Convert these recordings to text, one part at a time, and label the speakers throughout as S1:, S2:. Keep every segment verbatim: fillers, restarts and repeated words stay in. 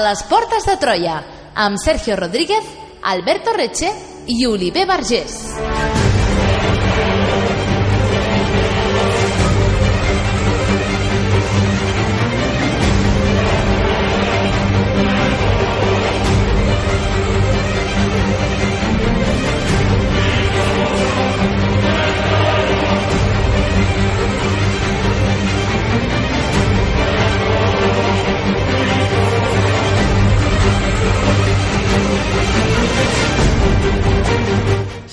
S1: les portes de Troia, amb Sergio Rodríguez, Alberto Reche i Oliver Vergés.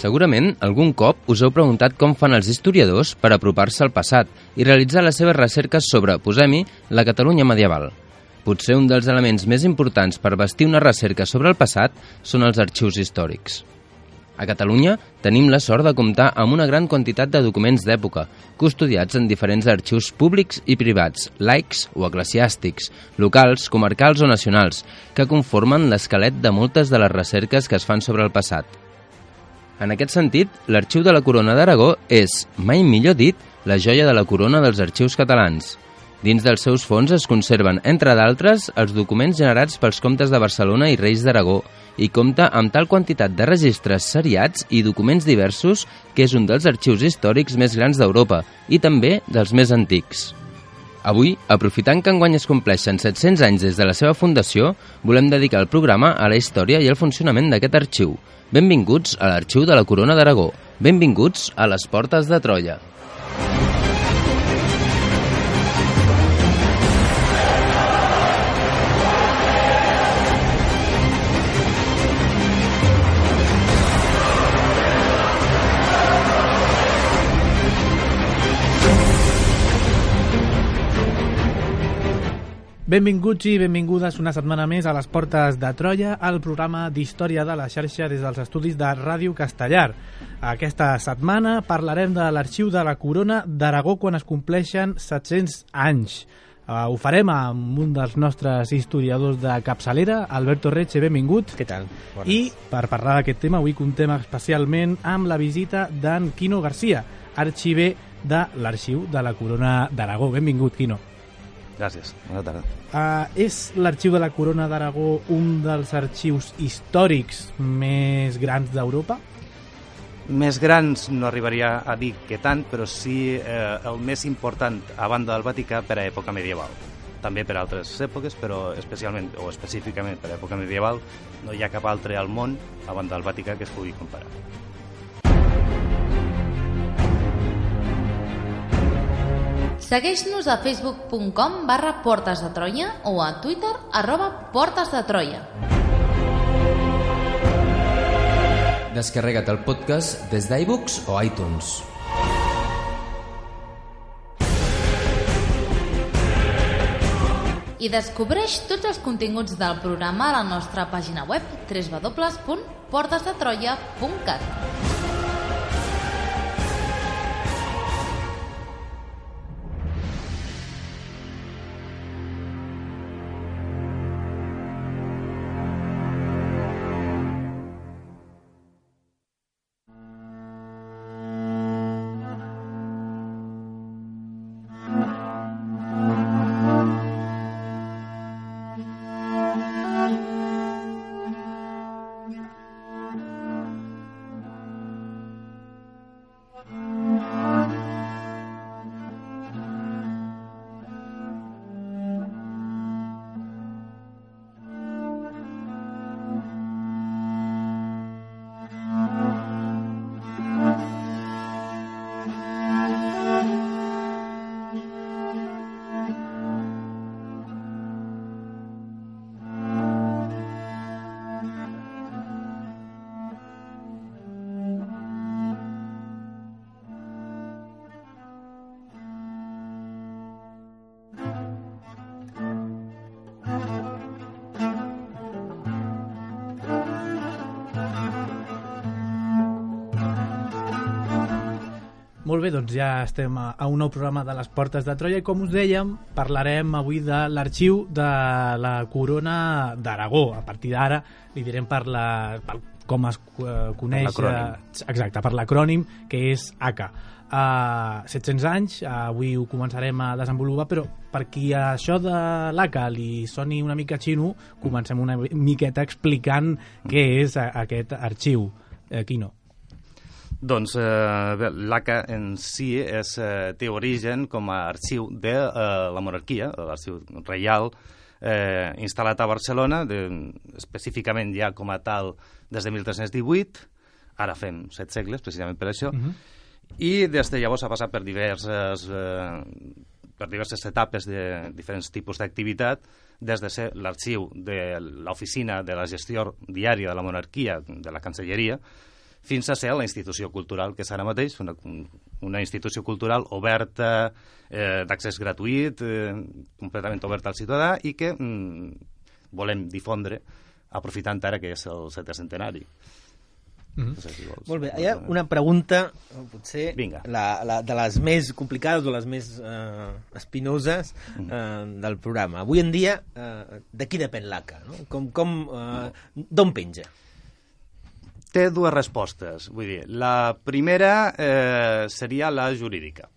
S2: Segurament, algun cop us heu preguntat com fan els historiadors per apropar-se al passat i realitzar les seves recerques sobre, posem-hi, la Catalunya medieval. Potser un dels elements més importants per bastir una recerca sobre el passat són els arxius històrics. A Catalunya tenim la sort de comptar amb una gran quantitat de documents d'època, custodiats en diferents arxius públics i privats, laics o eclesiàstics, locals, comarcals o nacionals, que conformen l'esquelet de moltes de les recerques que es fan sobre el passat. En aquest sentit, l'Arxiu de la Corona d'Aragó és, mai millor dit, la joia de la corona dels arxius catalans. Dins dels seus fons es conserven, entre d'altres, els documents generats pels comtes de Barcelona i reis d'Aragó i compta amb tal quantitat de registres seriats i documents diversos que és un dels arxius històrics més grans d'Europa i també dels més antics. Avui, aprofitant que enguany es compleixen set-cents anys des de la seva fundació, volem dedicar el programa a la història i al funcionament d'aquest arxiu. Benvinguts a l'Arxiu de la Corona d'Aragó. Benvinguts a les portes de Troia.
S3: Benvinguts i benvingudes una setmana més a les Portes de Troia, el programa d'història de la xarxa des dels estudis de Ràdio Castellar. Aquesta setmana parlarem de l'Arxiu de la Corona d'Aragó quan es compleixen set-cents anys. Uh, ho farem amb un dels nostres historiadors de capçalera, Alberto Reche, benvingut.
S4: Què tal? Bones.
S3: I per parlar d'aquest tema, avui contem especialment amb la visita d'en Quino Garcia, arxiver de l'Arxiu de la Corona d'Aragó. Benvingut, Quino.
S4: Gràcies, bona tarda.
S3: Uh, és l'Arxiu de la Corona d'Aragó un dels arxius històrics més grans d'Europa?
S4: Més grans no arribaria a dir que tant, però sí eh, el més important a banda del Vaticà per a època medieval. També per a altres èpoques, però especialment o específicament per a època medieval no hi ha cap altre al món a banda del Vaticà que es pugui comparar.
S1: Segueix-nos a facebook punt com barra Portes de Troia o a Twitter arroba Portes de Troia.
S2: Descarrega't el podcast des d'iBooks o iTunes.
S1: I descobreix tots els continguts del programa a la nostra pàgina web w w w punt portes de troia punt cat.
S3: Molt bé, doncs ja estem a, a un nou programa de les Portes de Troia i com us dèiem, parlarem avui de l'Arxiu de la Corona d'Aragó. A partir d'ara li direm per la, pel com es uh, coneix...
S4: Per l'acrònim.
S3: Uh, exacte, per l'acrònim, que és A C A. Uh, set-cents anys, uh, avui ho començarem a desenvolupar, però per qui això de l'A C A li soni una mica xino, comencem una miqueta explicant què és a, aquest arxiu. Uh, Quino.
S4: Doncs eh, l'A C A en si és, eh, té origen com a arxiu de eh, la monarquia, l'arxiu reial, eh, instal·lat a Barcelona, de, específicament ja com a tal des de mil tres-cents divuit, ara fem set segles, precisament per això, uh-huh. I des de llavors ha passat per diverses, eh, per diverses etapes de diferents tipus d'activitat, des de ser l'arxiu de l'oficina de la gestió diària de la monarquia, de la Cancelleria, fins a ser la institució cultural que és ara mateix, una, una institució cultural oberta, eh, d'accés gratuït, eh, completament oberta al ciutadà i que mm, volem difondre aprofitant ara que és el setè centenari.
S5: Mm-hmm. No sé si vols. Molt bé, hi ha una pregunta, potser la, la, de les més complicades o les més eh, espinoses eh, del programa. Avui en dia, eh, de qui depèn l'A C A? No? Com, com, eh, d'on penja?
S4: Té dues respostes. Vull dir, la primera eh, seria la jurídica.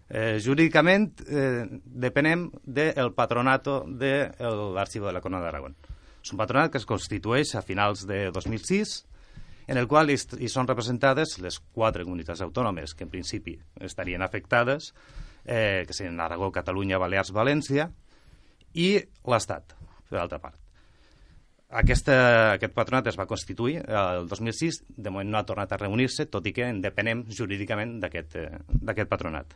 S4: Eh, jurídicament eh, depenem del patronato de l'Arxiu de la Corona d'Aragó. És un patronat que es constitueix a finals de dos mil sis, en el qual hi, hi són representades les quatre comunitats autònomes que en principi estarien afectades, eh, que serien Aragó, Catalunya, Balears, València, i l'Estat, per l'altra part. Aquesta, aquest patronat es va constituir el dos mil sis, de moment no ha tornat a reunir-se, tot i que en depenem jurídicament d'aquest eh, patronat.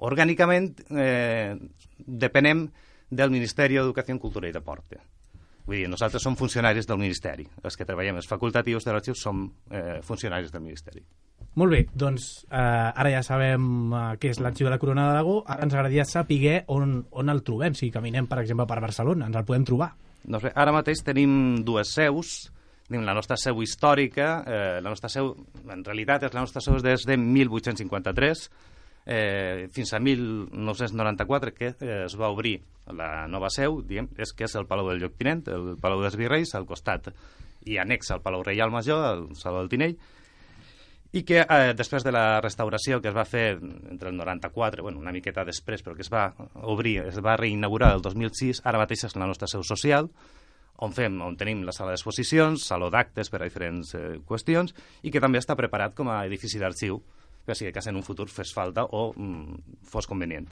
S4: Orgànicament eh, depenem del Ministeri d'Educació, Cultura i Deporte. Vull dir, nosaltres som funcionaris del Ministeri. Els que treballem, els facultatius de l'arxiu, som eh, funcionaris del Ministeri.
S3: Molt bé, doncs eh, ara ja sabem eh, què és l'Arxiu de la Corona d'Aragó. Ara ens agradaria saber on, on el trobem. Si caminem, per exemple, per Barcelona, ens el podem trobar.
S4: Doncs bé, ara mateix tenim dues seus. Tenim la nostra seu històrica. Eh, la nostra seu, en realitat, és la nostra seu des de mil vuit-cents cinquanta-tres eh, fins a mil nou-cents noranta-quatre, que eh, es va obrir la nova seu, diguem, és que és el Palau del Lloctinent, el Palau dels Virreis, al costat i annex al Palau Reial Major, al Saló del Tinell, i que eh, després de la restauració que es va fer entre el noranta-quatre, bueno, una miqueta després, però que es va obrir, es va reinaugurar el dos mil sis, ara mateix és la nostra seu social, on, fem, on tenim la sala d'exposicions, saló d'actes per a diferents eh, qüestions, i que també està preparat com a edifici d'arxiu, per si de cas en un futur fes falta o mm, fos convenient.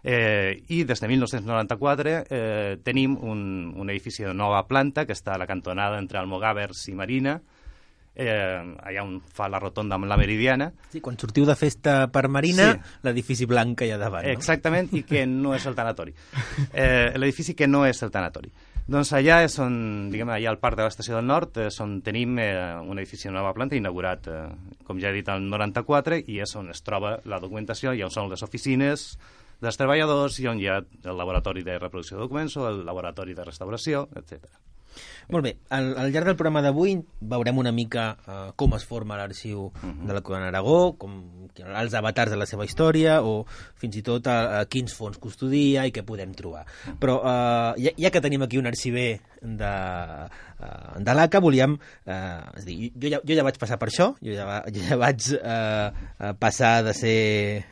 S4: Eh, I des de mil nou-cents noranta-quatre eh, tenim un, un edifici de nova planta que està a la cantonada entre Almogàvers i Marina, eh, allà on fa la rotonda amb la Meridiana.
S5: Sí, quan sortiu de festa per Marina, sí. L'edifici blanc que hi ha davant. No?
S4: Exactament, i que no és el tanatori. Eh, l'edifici que no és el tanatori. Doncs allà és on, diguem, allà al Parc de l'Estació del Nord, és on tenim eh, un edifici de nova planta inaugurat, eh, com ja he dit, el noranta-quatre, i és on es troba la documentació, i on són les oficines dels treballadors, i on hi ha el laboratori de reproducció de documents o el laboratori de restauració, etcètera.
S5: Molt bé, al, al llarg del programa d'avui veurem una mica uh, com es forma l'arxiu uh-huh. de la Corona d'Aragó, com els avatars de la seva història o fins i tot a, a quins fons custodia i què podem trobar. Però uh, ja, ja que tenim aquí un arxiver de, uh, de l'A C A, volíem... Uh, és a dir, jo ja, jo ja vaig passar per això, jo ja, jo ja vaig uh, passar de ser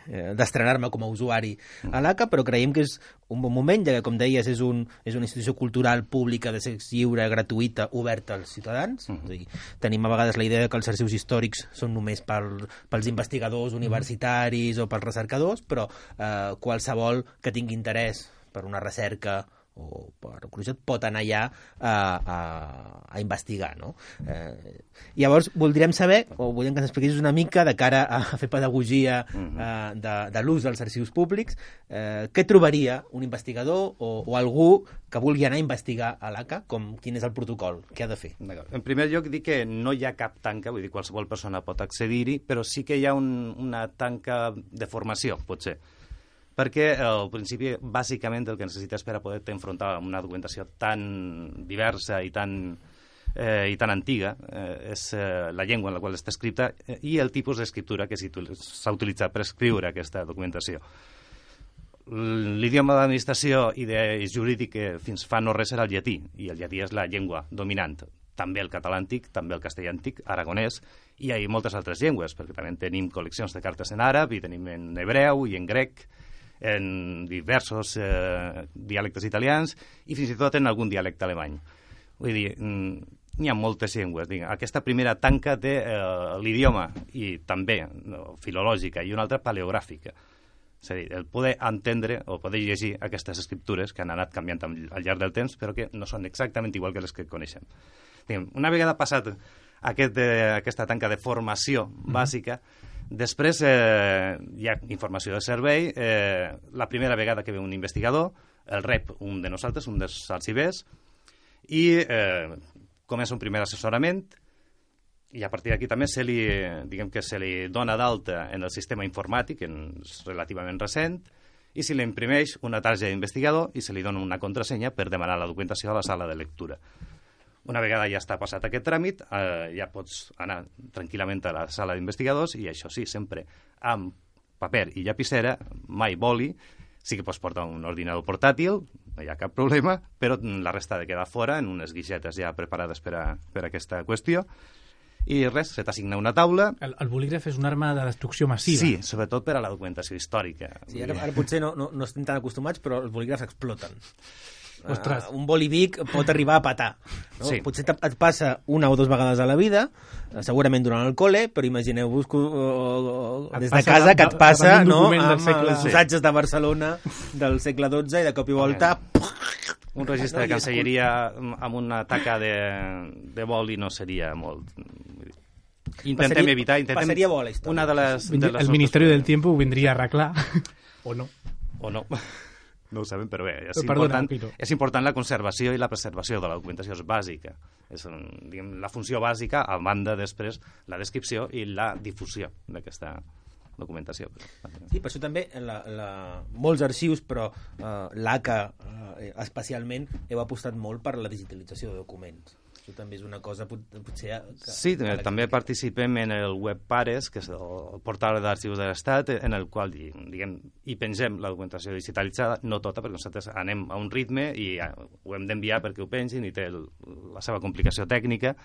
S5: uh, d'estrenar-me com a usuari a l'A C A, però creiem que és un bon moment, ja que, com deies, és, un, és una institució cultural pública de sexe lliure, gratuïta, oberta als ciutadans. Uh-huh. És a dir, tenim a vegades la idea que els arxius històrics són només per, pels investigadors universitaris uh-huh. o pels recercadors, però eh, qualsevol que tingui interès per una recerca o per curiositat pot anar allà a, a, a investigar, no? Eh, llavors, voldríem saber, o voldríem que ens expliquessis una mica de cara a fer pedagogia eh, de, de l'ús dels arxius públics, eh, què trobaria un investigador o, o algú que vulgui anar a investigar a l'A C A, com quin és el protocol, què ha de fer?
S4: En primer lloc, dir que no hi ha cap tanca, vull dir, qualsevol persona pot accedir-hi, però sí que hi ha un, una tanca de formació, potser. Perquè al principi, bàsicament, el que necessites per a poder-te enfrontar amb una documentació tan diversa i tan, eh, i tan antiga eh, és eh, la llengua en la qual està escrita eh, i el tipus d'escriptura que s'ha utilitzat per escriure aquesta documentació. L'idioma d'administració i de jurídic que fins fa no res era el llatí, i el llatí és la llengua dominant, també el català antic, també el castellà antic, aragonès, i hi ha moltes altres llengües, perquè també tenim col·leccions de cartes en àrab, i tenim en hebreu i en grec, en diversos eh, dialectes italians, i fins i tot en algun dialecte alemany. Vull dir, n'hi ha moltes llengües. Digue. Aquesta primera tanca té eh, l'idioma, i també no, filològica, i una altra paleogràfica. És a dir, el poder entendre o poder llegir aquestes escriptures que han anat canviant al llarg del temps, però que no són exactament igual que les que coneixem. Diguem, una vegada passat aquest, eh, aquesta tanca de formació bàsica, mm-hmm. després eh, hi ha informació de servei. Eh, la primera vegada que ve un investigador, el rep un de nosaltres, un dels arxivers, i eh, comença un primer assessorament, i a partir d'aquí també se li, diguem que se li dona d'alta en el sistema informàtic, en, relativament recent, i se li imprimeix una targeta d'investigador i se li dona una contrasenya per demanar la documentació a la sala de lectura. Una vegada ja està passat aquest tràmit, eh, ja pots anar tranquil·lament a la sala d'investigadors, i això sí, sempre amb paper i llapissera, mai boli. Sí que pots portar un ordinador portàtil, no hi ha cap problema, però la resta ha de quedar fora en unes guixetes ja preparades per a, per a aquesta qüestió. I res, se t'assigna una taula.
S3: El, el bolígraf és una arma de destrucció massiva.
S4: Sí, sobretot per a la documentació històrica.
S5: Sí, ara, ara potser no, no, no estem tan acostumats, però els bolígrafs exploten.
S3: Ostres.
S5: Uh, un bolivic pot arribar a petar. No?
S4: Sí.
S5: Potser et passa una o dues vegades a la vida, segurament durant el col·le, però imagineu-vos que, uh, des de casa que et passa no, amb els assajos de Barcelona del segle dotze i de cop i volta...
S4: Un registre de cancelleria amb una taca de, de boli no seria molt... Intentem
S5: passaria,
S4: evitar... Intentem...
S5: Passaria bo la història.
S4: Una de les, de les
S3: el Ministeri del Tiempo ho vindria a arreglar, o no.
S4: O no. No ho sabem, però bé, és,
S3: Perdona,
S4: important, és important la conservació i la preservació de la documentació, és bàsica. És diguem, la funció bàsica, a banda després la descripció i la difusió d'aquesta documentació.
S5: Sí, per això també la, la, molts arxius, però eh, l'A C A eh, especialment, heu apostat molt per la digitalització de documents. Això també és una cosa pot, potser... Que,
S4: sí,
S5: que
S4: també que... participem en el web Pares, que és el portal d'arxius de l'Estat, en el qual diguem, hi pengem la documentació digitalitzada, no tota, perquè nosaltres anem a un ritme i ho hem d'enviar perquè ho pengin i té el, la seva complicació tècnica,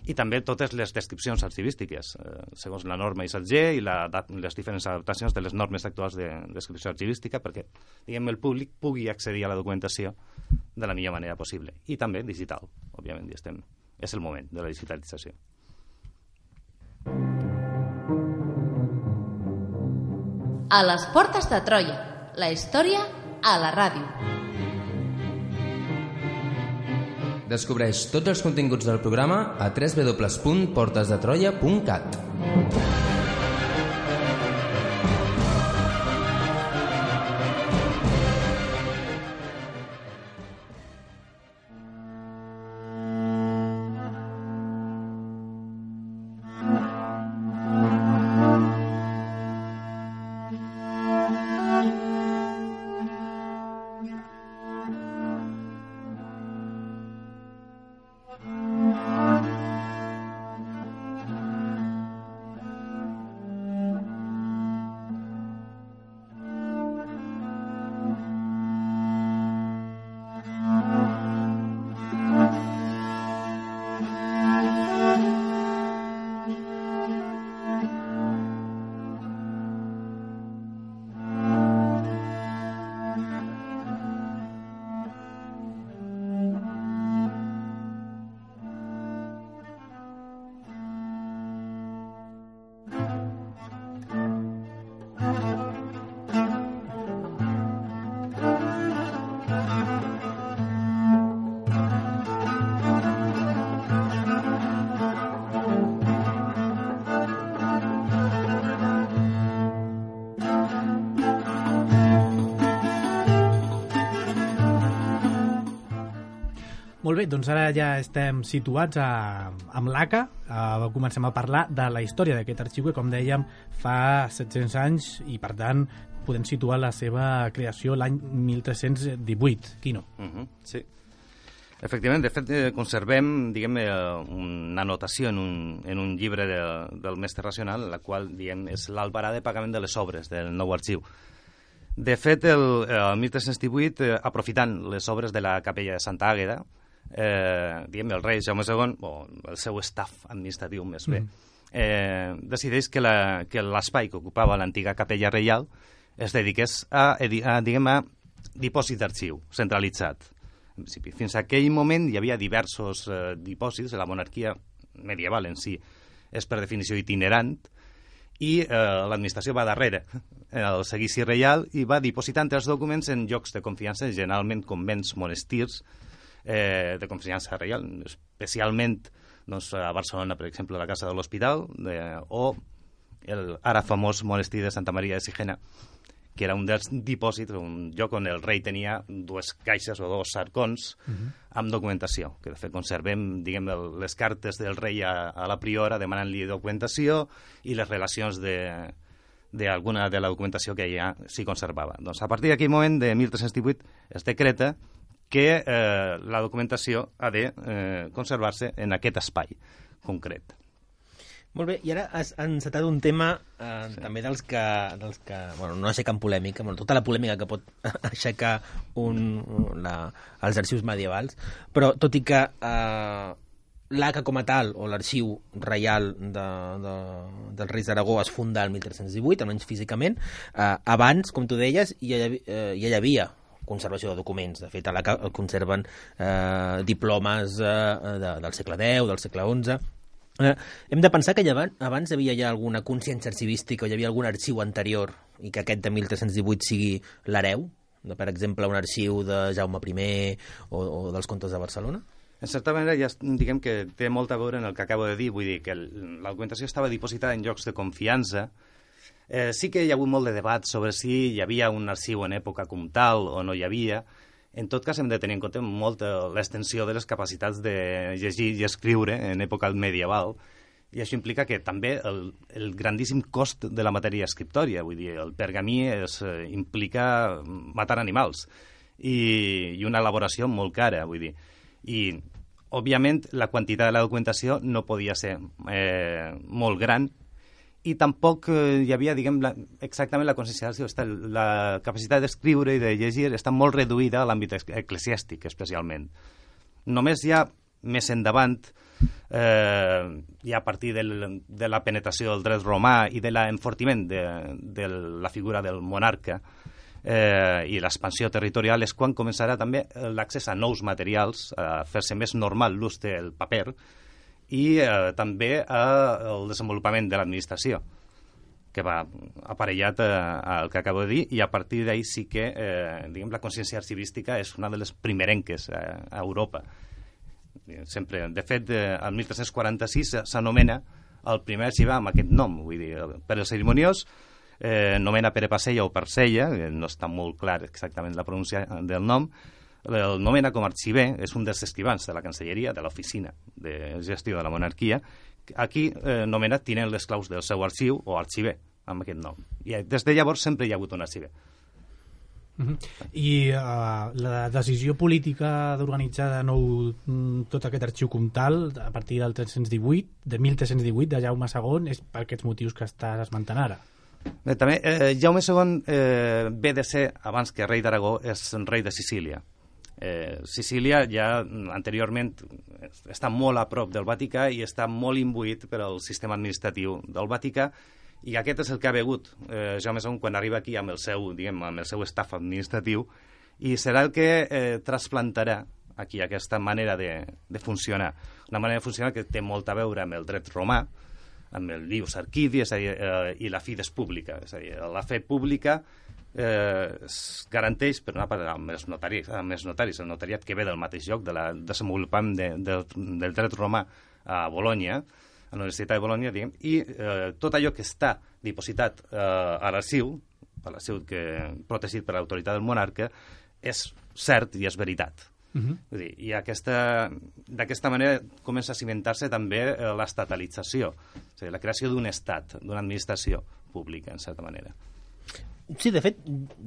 S4: i també totes les descripcions arxivístiques, eh, segons la norma I S A T G i la, les diferents adaptacions de les normes actuals de descripció arxivística, perquè diguem, el públic pugui accedir a la documentació de la millor manera possible. I també digital, òbviament, i estem, és el moment de la digitalització.
S1: A les portes de Troia, la història a la ràdio.
S2: Descobreix tots els continguts del programa a w w w punt portes de troia punt cat.
S3: Molt bé, doncs ara ja estem situats a, amb l'A C A. Uh, comencem a parlar de la història d'aquest arxiu que, com dèiem, fa set-cents anys i, per tant, podem situar la seva creació l'any mil tres-cents divuit. Quino?
S4: Uh -huh, sí. Efectivament, de fet, eh, conservem, diguem, eh, una anotació en un, en un llibre de, del mestre racional, la qual, diguem, és l'albarà de pagament de les obres del nou arxiu. De fet, el, el mil tres-cents divuit, eh, aprofitant les obres de la capella de Santa Àgueda, eh, diguem, el rei Jaume segon, o el seu staff administratiu més bé, eh, decideix que la, que l'espai que ocupava l'antiga capella reial es dediqués a, a, diguem, a dipòsit d'arxiu centralitzat. En principi, fins a aquell moment hi havia diversos eh, dipòsits, la monarquia medieval en si és per definició itinerant, i eh, l'administració va darrere el seguici reial i va dipositant els documents en llocs de confiança, generalment convents, monestirs eh, de confiança reial, especialment doncs, a Barcelona, per exemple, la Casa de l'Hospital, eh, o el ara famós monestir de Santa Maria de Sigena, que era un dels dipòsits, un lloc on el rei tenia dues caixes o dos arcons uh-huh. amb documentació, que de fet conservem, diguem, el, les cartes del rei a, a la priora demanant-li documentació i les relacions de d'alguna de la documentació que ja s'hi conservava. Doncs a partir d'aquell moment, de mil tres-cents divuit, es decreta que eh, la documentació ha de eh, conservar-se en aquest espai concret.
S5: Molt bé, i ara has encetat un tema eh, sí. també dels que, dels que bueno, no aixequen polèmica, bueno, tota la polèmica que pot aixecar un, la, els arxius medievals, però tot i que eh, l'A C A com a tal, o l'arxiu reial de, de, dels Reis d'Aragó es funda el mil tres-cents divuit, almenys físicament, eh, abans, com tu deies, ja, eh, ja hi havia conservació de documents. De fet, a l'A C A conserven eh, diplomes eh, de, del segle deu, del segle onze. Eh, hem de pensar que abans, abans hi havia ja alguna consciència arxivística o hi havia algun arxiu anterior i que aquest de mil tres-cents divuit sigui l'hereu, de, per exemple, un arxiu de Jaume primer o, o dels contes de Barcelona?
S4: En certa manera, ja diguem que té molt a veure en el que acabo de dir, vull dir que el, la documentació estava dipositada en llocs de confiança. Eh, sí que hi ha hagut molt de debat sobre si hi havia un arxiu en època comtal o no hi havia. En tot cas, hem de tenir en compte molt l'extensió de les capacitats de llegir i escriure en època medieval, i això implica que també el, el grandíssim cost de la matèria escriptòria, vull dir, el pergamí es, eh, implica matar animals i, i una elaboració molt cara, vull dir. I, òbviament, la quantitat de la documentació no podia ser eh, molt gran, i tampoc eh, hi havia, diguem, la, exactament la conscienciació. La capacitat d'escriure i de llegir està molt reduïda a l'àmbit eclesiàstic, especialment. Només ja més endavant, eh, ja a partir del, de la penetració del dret romà i de l'enfortiment de, de la figura del monarca eh, i l'expansió territorial, és quan començarà també l'accés a nous materials, a fer-se més normal l'ús del paper, i eh, també eh, el desenvolupament de l'administració, que va aparellat eh, al que acabo de dir, i a partir d'ahir sí que eh, diguem, la consciència arxivística és una de les primerenques eh, a Europa. Sempre, de fet, eh, el mil tres-cents quaranta-sis s'anomena el primer arxivar amb aquest nom, vull dir, per el cerimoniós eh, nomena Pere Passella o Parcella, no està molt clar exactament la pronúncia del nom. El nomena com a arxiver, és un dels escrivans de la Cancelleria, de l'oficina de gestió de la monarquia. Aquí eh, nomena tinent les claus del seu arxiu o arxiver, amb aquest nom. I des de llavors sempre hi ha hagut un arxiver.
S3: Uh-huh. I uh, la decisió política d'organitzar de nou tot aquest arxiu comtal a partir del tres-cents divuit, de mil tres-cents divuit, de Jaume segon, és per aquests motius que estàs esmentant ara.
S4: Bé, també, eh, Jaume segon eh, ve de ser, abans que rei d'Aragó, és rei de Sicília. Eh, Sicília ja anteriorment està molt a prop del Vaticà i està molt imbuït per al sistema administratiu del Vaticà, i aquest és el que ha begut eh, Jaume segon quan arriba aquí amb el seu, diguem, amb el seu staff administratiu, i serà el que eh, trasplantarà aquí aquesta manera de, de funcionar. Una manera de funcionar que té molt a veure amb el dret romà, amb el Lius Arquidi, és a dir, eh, i la fides pública, és a dir, la fe pública eh, es garanteix per una part amb els notaris, amb els notaris, el notariat que ve del mateix lloc, de la desenvolupament de, de, del dret romà a Bologna, a la Universitat de Bologna, diguem, i eh, tot allò que està dipositat eh, a l'arxiu, a l'arxiu que protegit per l'autoritat del monarca, és cert i és veritat. Uh-huh. Vull dir, i d'aquesta manera comença a cimentar-se també eh, l'estatalització, és a dir, la creació d'un estat, d'una administració pública, en certa manera.
S5: Sí, de fet,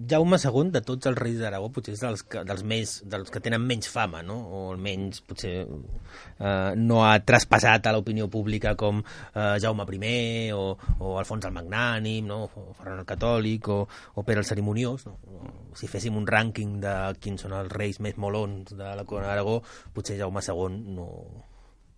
S5: Jaume segon, de tots els reis d'Aragó, potser és dels que, dels, més, dels que tenen menys fama, no? O almenys, potser, eh, no ha traspassat a l'opinió pública com eh, Jaume primer, o, o Alfons el Magnànim, no? O Ferran el Catòlic, o, o Pere el Cerimoniós, no? Si féssim un rànquing de quins són els reis més molons de la corona d'Aragó, potser Jaume segon no...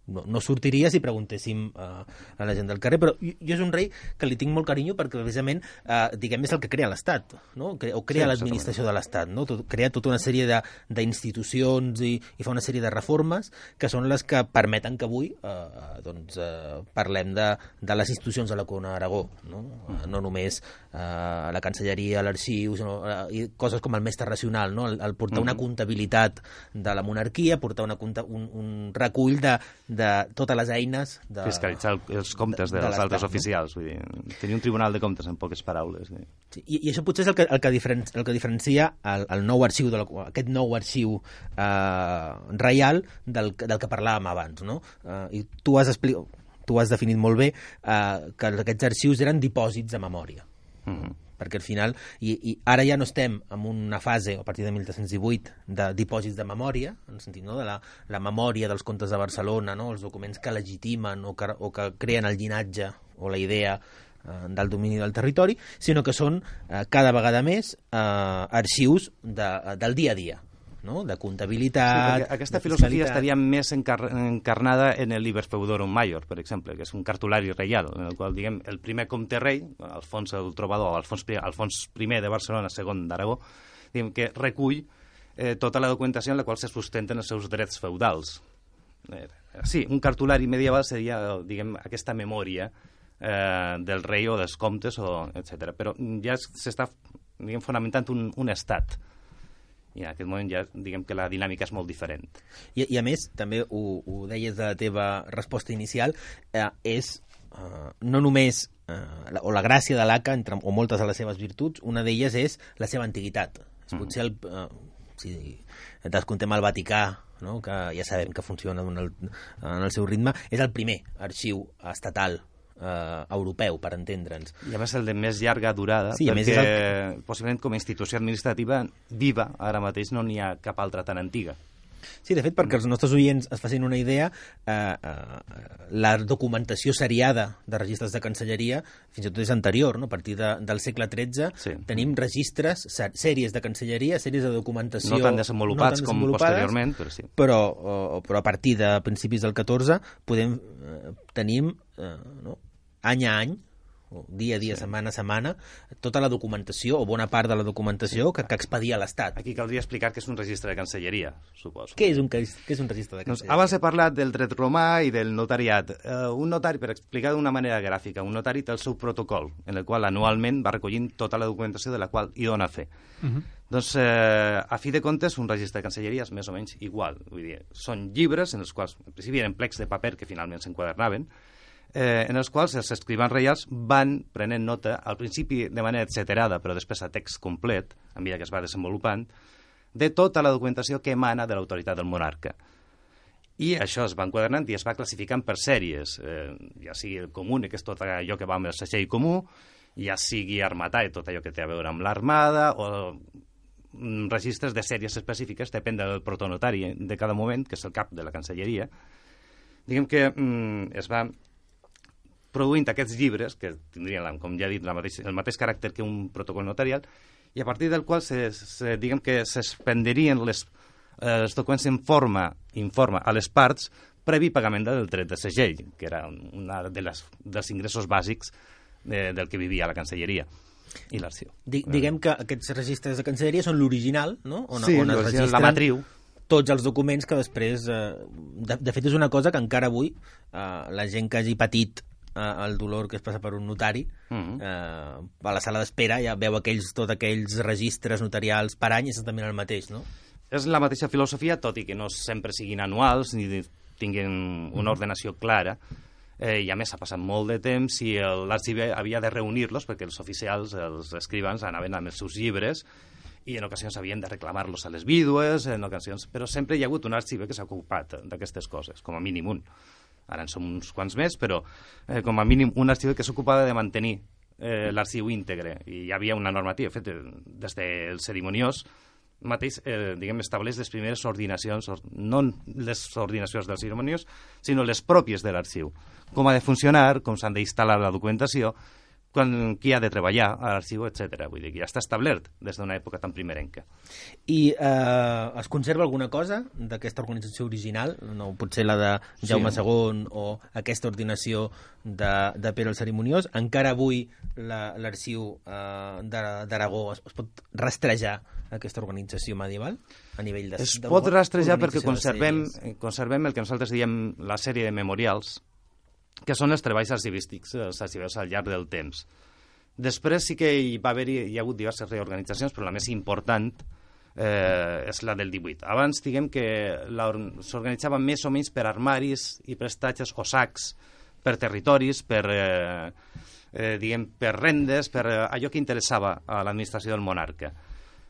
S5: No, no sortiria si preguntéssim uh, a la gent del carrer, però jo, jo és un rei que li tinc molt carinyo perquè precisament uh, diguem és el que crea l'Estat, no? Cre o crea sí, l'administració de l'Estat, no? Tot, crea tota una sèrie d'institucions i, i fa una sèrie de reformes que són les que permeten que avui uh, doncs, uh, parlem de, de les institucions de la Corona d'Aragó, no? Uh, no només uh, la Cancelleria, l'arxiu, sinó uh, i coses com el mestre racional, no? el, el portar mm -hmm. una comptabilitat de la monarquia, portar una, un, un recull de de totes les eines... De,
S4: fiscalitzar el, els comptes de, de dels altres oficials. Vull dir, tenir un tribunal de comptes, en poques paraules. Sí.
S5: Sí, i, I això potser és el que, el que, diferen, el que diferencia el, el nou arxiu, de la, aquest nou arxiu eh, reial del, del que parlàvem abans. No? Eh, I tu has, tu has definit molt bé eh, que aquests arxius eren dipòsits de memòria. Mm-hmm. Perquè al final, i, i ara ja no estem en una fase, a partir de mil tres-cents divuit, de dipòsits de memòria, en el sentit, no?, de la, la memòria dels comtes de Barcelona, no?, els documents que legitimen o que, o que creen el llinatge o la idea eh, del domini del territori, sinó que són eh, cada vegada més eh, arxius de, del dia a dia, no?, de comptabilitat...
S4: Sí, aquesta filosofia estaria més encar encarnada en el Liber Feudorum Maior, per exemple, que és un cartulari reial, en el qual, diguem, el primer comte rei, Alfons el Trobador, Alfons, Alfons primer de Barcelona, segon d'Aragó, diguem que recull eh, tota la documentació en la qual se sustenten els seus drets feudals. Eh, sí, un cartulari medieval seria, diguem, aquesta memòria eh, del rei o dels comtes, o etcètera. Però ja s'està, diguem, fonamentant un, un estat. I en aquest moment ja diguem que la dinàmica és molt diferent.
S5: I, i a més, també ho, ho deies de la teva resposta inicial, eh, és eh, no només eh, la, o la gràcia de l'A C A, entre, o moltes de les seves virtuts, una d'elles és la seva antiguitat. És mm. potser el, eh, si descontem el Vaticà, no?, que ja sabem que funciona en el, en el seu ritme, és el primer arxiu estatal Uh, europeu, per entendre'ns.
S4: I a més el de més llarga durada, sí, perquè el... possiblement com a institució administrativa viva, ara mateix no n'hi ha cap altra tan antiga.
S5: Sí, de fet, perquè els nostres oients es facin una idea, eh, eh, la documentació seriada de registres de cancelleria fins i tot és anterior, no? A partir de, del segle tretze sí. tenim registres, sèries de cancelleria, sèries de documentació...
S4: No tan desenvolupats, no tan desenvolupades com posteriorment, però sí.
S5: Però, o, però a partir de principis del catorze podem, eh, tenim eh, no? any a any, o dia a dia, sí. setmana a setmana, tota la documentació, o bona part de la documentació que, que expedia l'Estat.
S4: Aquí caldria explicar que és un registre de cancelleria, suposo.
S5: Què és un, què és un registre de cancelleria?
S4: Doncs abans he parlat del dret romà i del notariat. Uh, un notari, per explicar d'una manera gràfica, un notari té el seu protocol, en el qual anualment va recollint tota la documentació de la qual hi dona fe. Uh -huh. Doncs, eh, a fi de comptes, un registre de cancelleria és més o menys igual. Vull dir, són llibres en els quals, en principi, eren plecs de paper que finalment s'enquadernaven, Eh, en els quals els escrivans reials van prenent nota, al principi de manera etcèterada, però després a text complet, a mesura que es va desenvolupant, de tota la documentació que emana de l'autoritat del monarca. I això es va enquadernant i es va classificant per sèries, eh, ja sigui el comú, que és tot allò que va amb el segell comú, ja sigui armatà, tot allò que té a veure amb l'armada, o mm, registres de sèries específiques, depèn del protonotari de cada moment, que és el cap de la cancelleria. Diguem que mm, es va produint aquests llibres, que tindrien, com ja he dit, la mateix, el mateix caràcter que un protocol notarial, i a partir del qual se, se, diguem que s'expenderien les, eh, els documents en forma, informa a les parts, previ pagament del dret de segell, que era un de les, dels ingressos bàsics de, del que vivia la cancelleria i l'arxiu.
S5: Di, diguem que aquests registres de cancelleria són l'original, no? On,
S4: sí,
S5: on es registren
S4: la matriu.
S5: Tots els documents que després... Eh, de, de fet, és una cosa que encara avui eh, la gent que hagi patit el dolor que es passa per un notari, uh-huh. eh, a la sala d'espera ja veu aquells, tots aquells registres notarials per any, és també el mateix, no?
S4: És la mateixa filosofia, tot i que no sempre siguin anuals ni tinguin una ordenació clara, eh, i a més ha passat molt de temps i l'arxiver havia de reunir-los perquè els oficials, els escrivans, anaven amb els seus llibres i en ocasions havien de reclamar-los a les vídues, en ocasions... però sempre hi ha hagut un arxiver que s'ha ocupat d'aquestes coses, com a mínim un. Ara en som uns quants més, però eh, com a mínim un arxiver que s'ocupava de mantenir eh, l'arxiu íntegre, i hi havia una normativa feta des del cerimoniós mateix, eh, diguem, estableix les primeres ordinacions, no les ordinacions del cerimoniós, sinó les pròpies de l'arxiu. Com ha de funcionar, com s'han d'instal·lar la documentació, quan, qui ha de treballar a l'arxiu, etcètera. Vull dir que ja està establert des d'una època tan primerenca.
S5: I eh, es conserva alguna cosa d'aquesta organització original? No, potser la de Jaume
S4: Sí.
S5: segon o aquesta ordinació de, de Pere el Cerimoniós. Encara avui la- l'arxiu eh, d'Ara- d'Aragó es, es pot rastrejar aquesta organització medieval a nivell de...
S4: Es
S5: de-
S4: pot rastrejar perquè
S5: organització de
S4: conservem,
S5: sèries?
S4: conservem el que nosaltres diem la sèrie de memorials, que són els treballs arxivístics, els arxiveus al llarg del temps. Després sí que hi va haver hi ha hagut diverses reorganitzacions, però la més important eh, és la del divuit. Abans, diguem que la- s'organitzava més o menys per armaris i prestatges o sacs, per territoris, per, eh, eh, diguem, per rendes, per eh, allò que interessava a l'administració del monarca.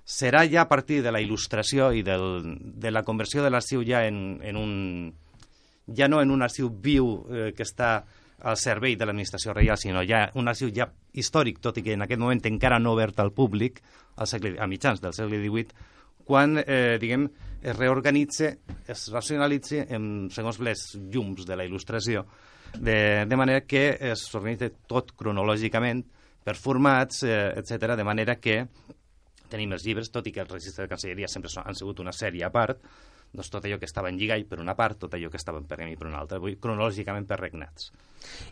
S4: Serà ja a partir de la il·lustració i del, de la conversió de l'arxiu ja en, en un ja no en un arxiu viu eh, que està al servei de l'administració reial, sinó ja un arxiu ja històric, tot i que en aquest moment encara no obert al públic, al segle, a mitjans del segle divuit, quan, eh, diguem, es reorganitza, es racionalitza en, segons les llums de la il·lustració, de, de manera que es organitza tot cronològicament, per formats, eh, etcètera, de manera que tenim els llibres, tot i que el registre de Cancelleria sempre són, han sigut una sèrie a part, doncs tot allò que estava en lligall per una part, tot allò que estava en pergamí per una altra, vull, cronològicament per regnats.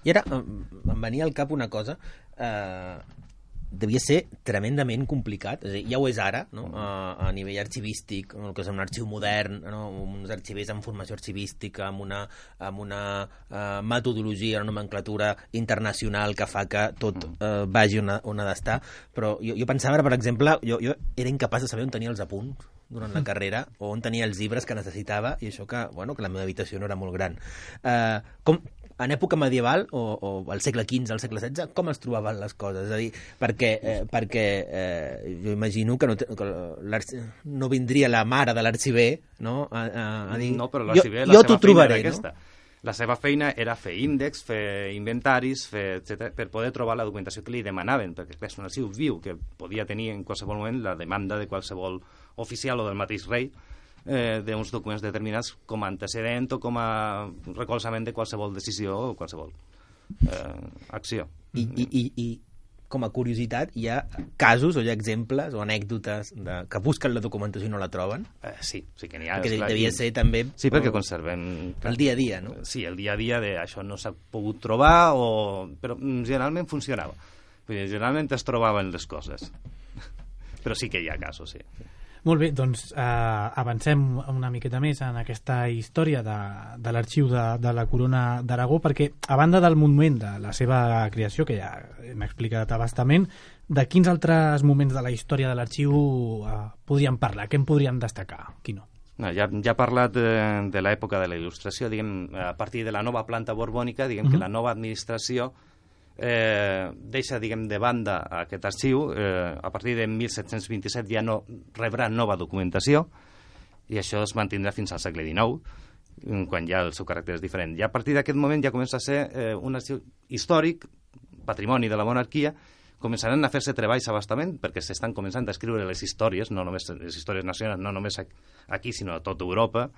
S5: I ara em em venia al cap una cosa, eh, devia ser tremendament complicat, és a dir, ja ho és ara, no? a, a nivell arxivístic, el que és un arxiu modern, no? Uns arxivers amb formació arxivística, amb una, amb una uh, metodologia, una nomenclatura internacional que fa que tot uh, vagi on ha, on ha d'estar, però jo, jo pensava, per exemple, jo, jo era incapaç de saber on tenia els apunts durant la carrera, o on tenia els llibres que necessitava, i això que, bueno, que la meva habitació no era molt gran. Uh, com, en època medieval, o, o al segle quinze, al segle setze, com es trobaven les coses? És a dir, perquè, eh, perquè eh, jo imagino que, no, te, que no vindria la mare de l'arxiver, no? A, a, a dir,
S4: No, però
S5: jo,
S4: l'arxiver, la
S5: jo
S4: seva
S5: t'ho
S4: feina
S5: trobaré,
S4: era aquesta.
S5: no?
S4: La seva feina era fer índexs, fer inventaris, fer, etcètera, per poder trobar la documentació que li demanaven, perquè és un arxiu viu que podia tenir en qualsevol moment la demanda de qualsevol oficial o del mateix rei eh, d'uns documents determinats com a antecedent o com a recolzament de qualsevol decisió o qualsevol eh, acció.
S5: I, i, i, I com a curiositat, hi ha casos o hi ha exemples o anècdotes de, que busquen la documentació i no la troben?
S4: Eh, sí, sí que n'hi ha.
S5: Perquè
S4: esclar,
S5: devia
S4: i-
S5: ser també...
S4: Sí, perquè
S5: eh,
S4: conservem...
S5: el dia a dia, no?
S4: Sí, el dia a dia de això no s'ha pogut trobar, o... però mm, generalment funcionava. Vull dir, generalment es trobaven les coses. Però sí que hi ha casos, sí.
S3: Molt bé, doncs eh, avancem una miqueta més en aquesta història de, de l'arxiu de, de la Corona d'Aragó, perquè a banda del moment de la seva creació, que ja hem explicat a bastament, de quins altres moments de la història de l'arxiu eh, podríem parlar? Què en podríem destacar? Qui no?
S4: No, ja, ja he parlat de, de l'època de la il·lustració, diguem, a partir de la nova planta borbònica, diguem uh -huh. que la nova administració eh, deixa, diguem, de banda aquest arxiu. Eh, a partir de mil set-cents vint-i-set ja no rebrà nova documentació, i això es mantindrà fins al segle dinou, quan ja el seu caràcter és diferent. I a partir d'aquest moment ja comença a ser eh, un arxiu històric, patrimoni de la monarquia. Començaran a fer-se treballs a bastament, perquè s'estan començant a escriure les històries, no només les històries nacionals, no només aquí, sinó a tota Europa,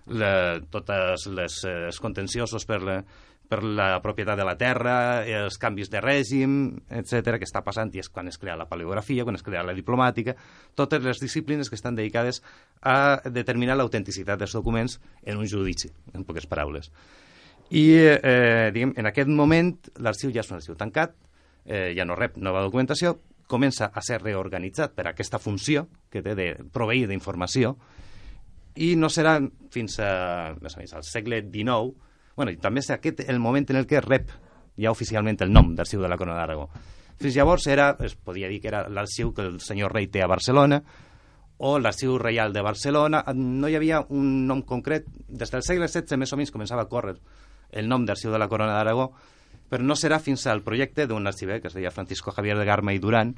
S4: la, totes les eh, els contenciosos per la, per la propietat de la terra, els canvis de règim, etcètera, que està passant, i és quan es crea la paleografia, quan es crea la diplomàtica, totes les disciplines que estan dedicades a determinar l'autenticitat dels documents en un judici, en poques paraules. I, eh, diguem, en aquest moment, l'arxiu ja és un arxiu tancat, eh, ja no rep nova documentació, comença a ser reorganitzat per aquesta funció que té de proveir d'informació, i no serà fins a, més o menys, al segle dinou, bueno, i també és aquest el moment en el que rep ja oficialment el nom d'Arxiu de la Corona d'Aragó. Fins llavors era, es podia dir que era l'arxiu que el senyor rei té a Barcelona, o l'Arxiu Reial de Barcelona. No hi havia un nom concret. Des del segle setze, més o menys, començava a córrer el nom d'Arxiu de la Corona d'Aragó, però no serà fins al projecte d'un arxiver que es deia Francisco Javier de Garma i Duran,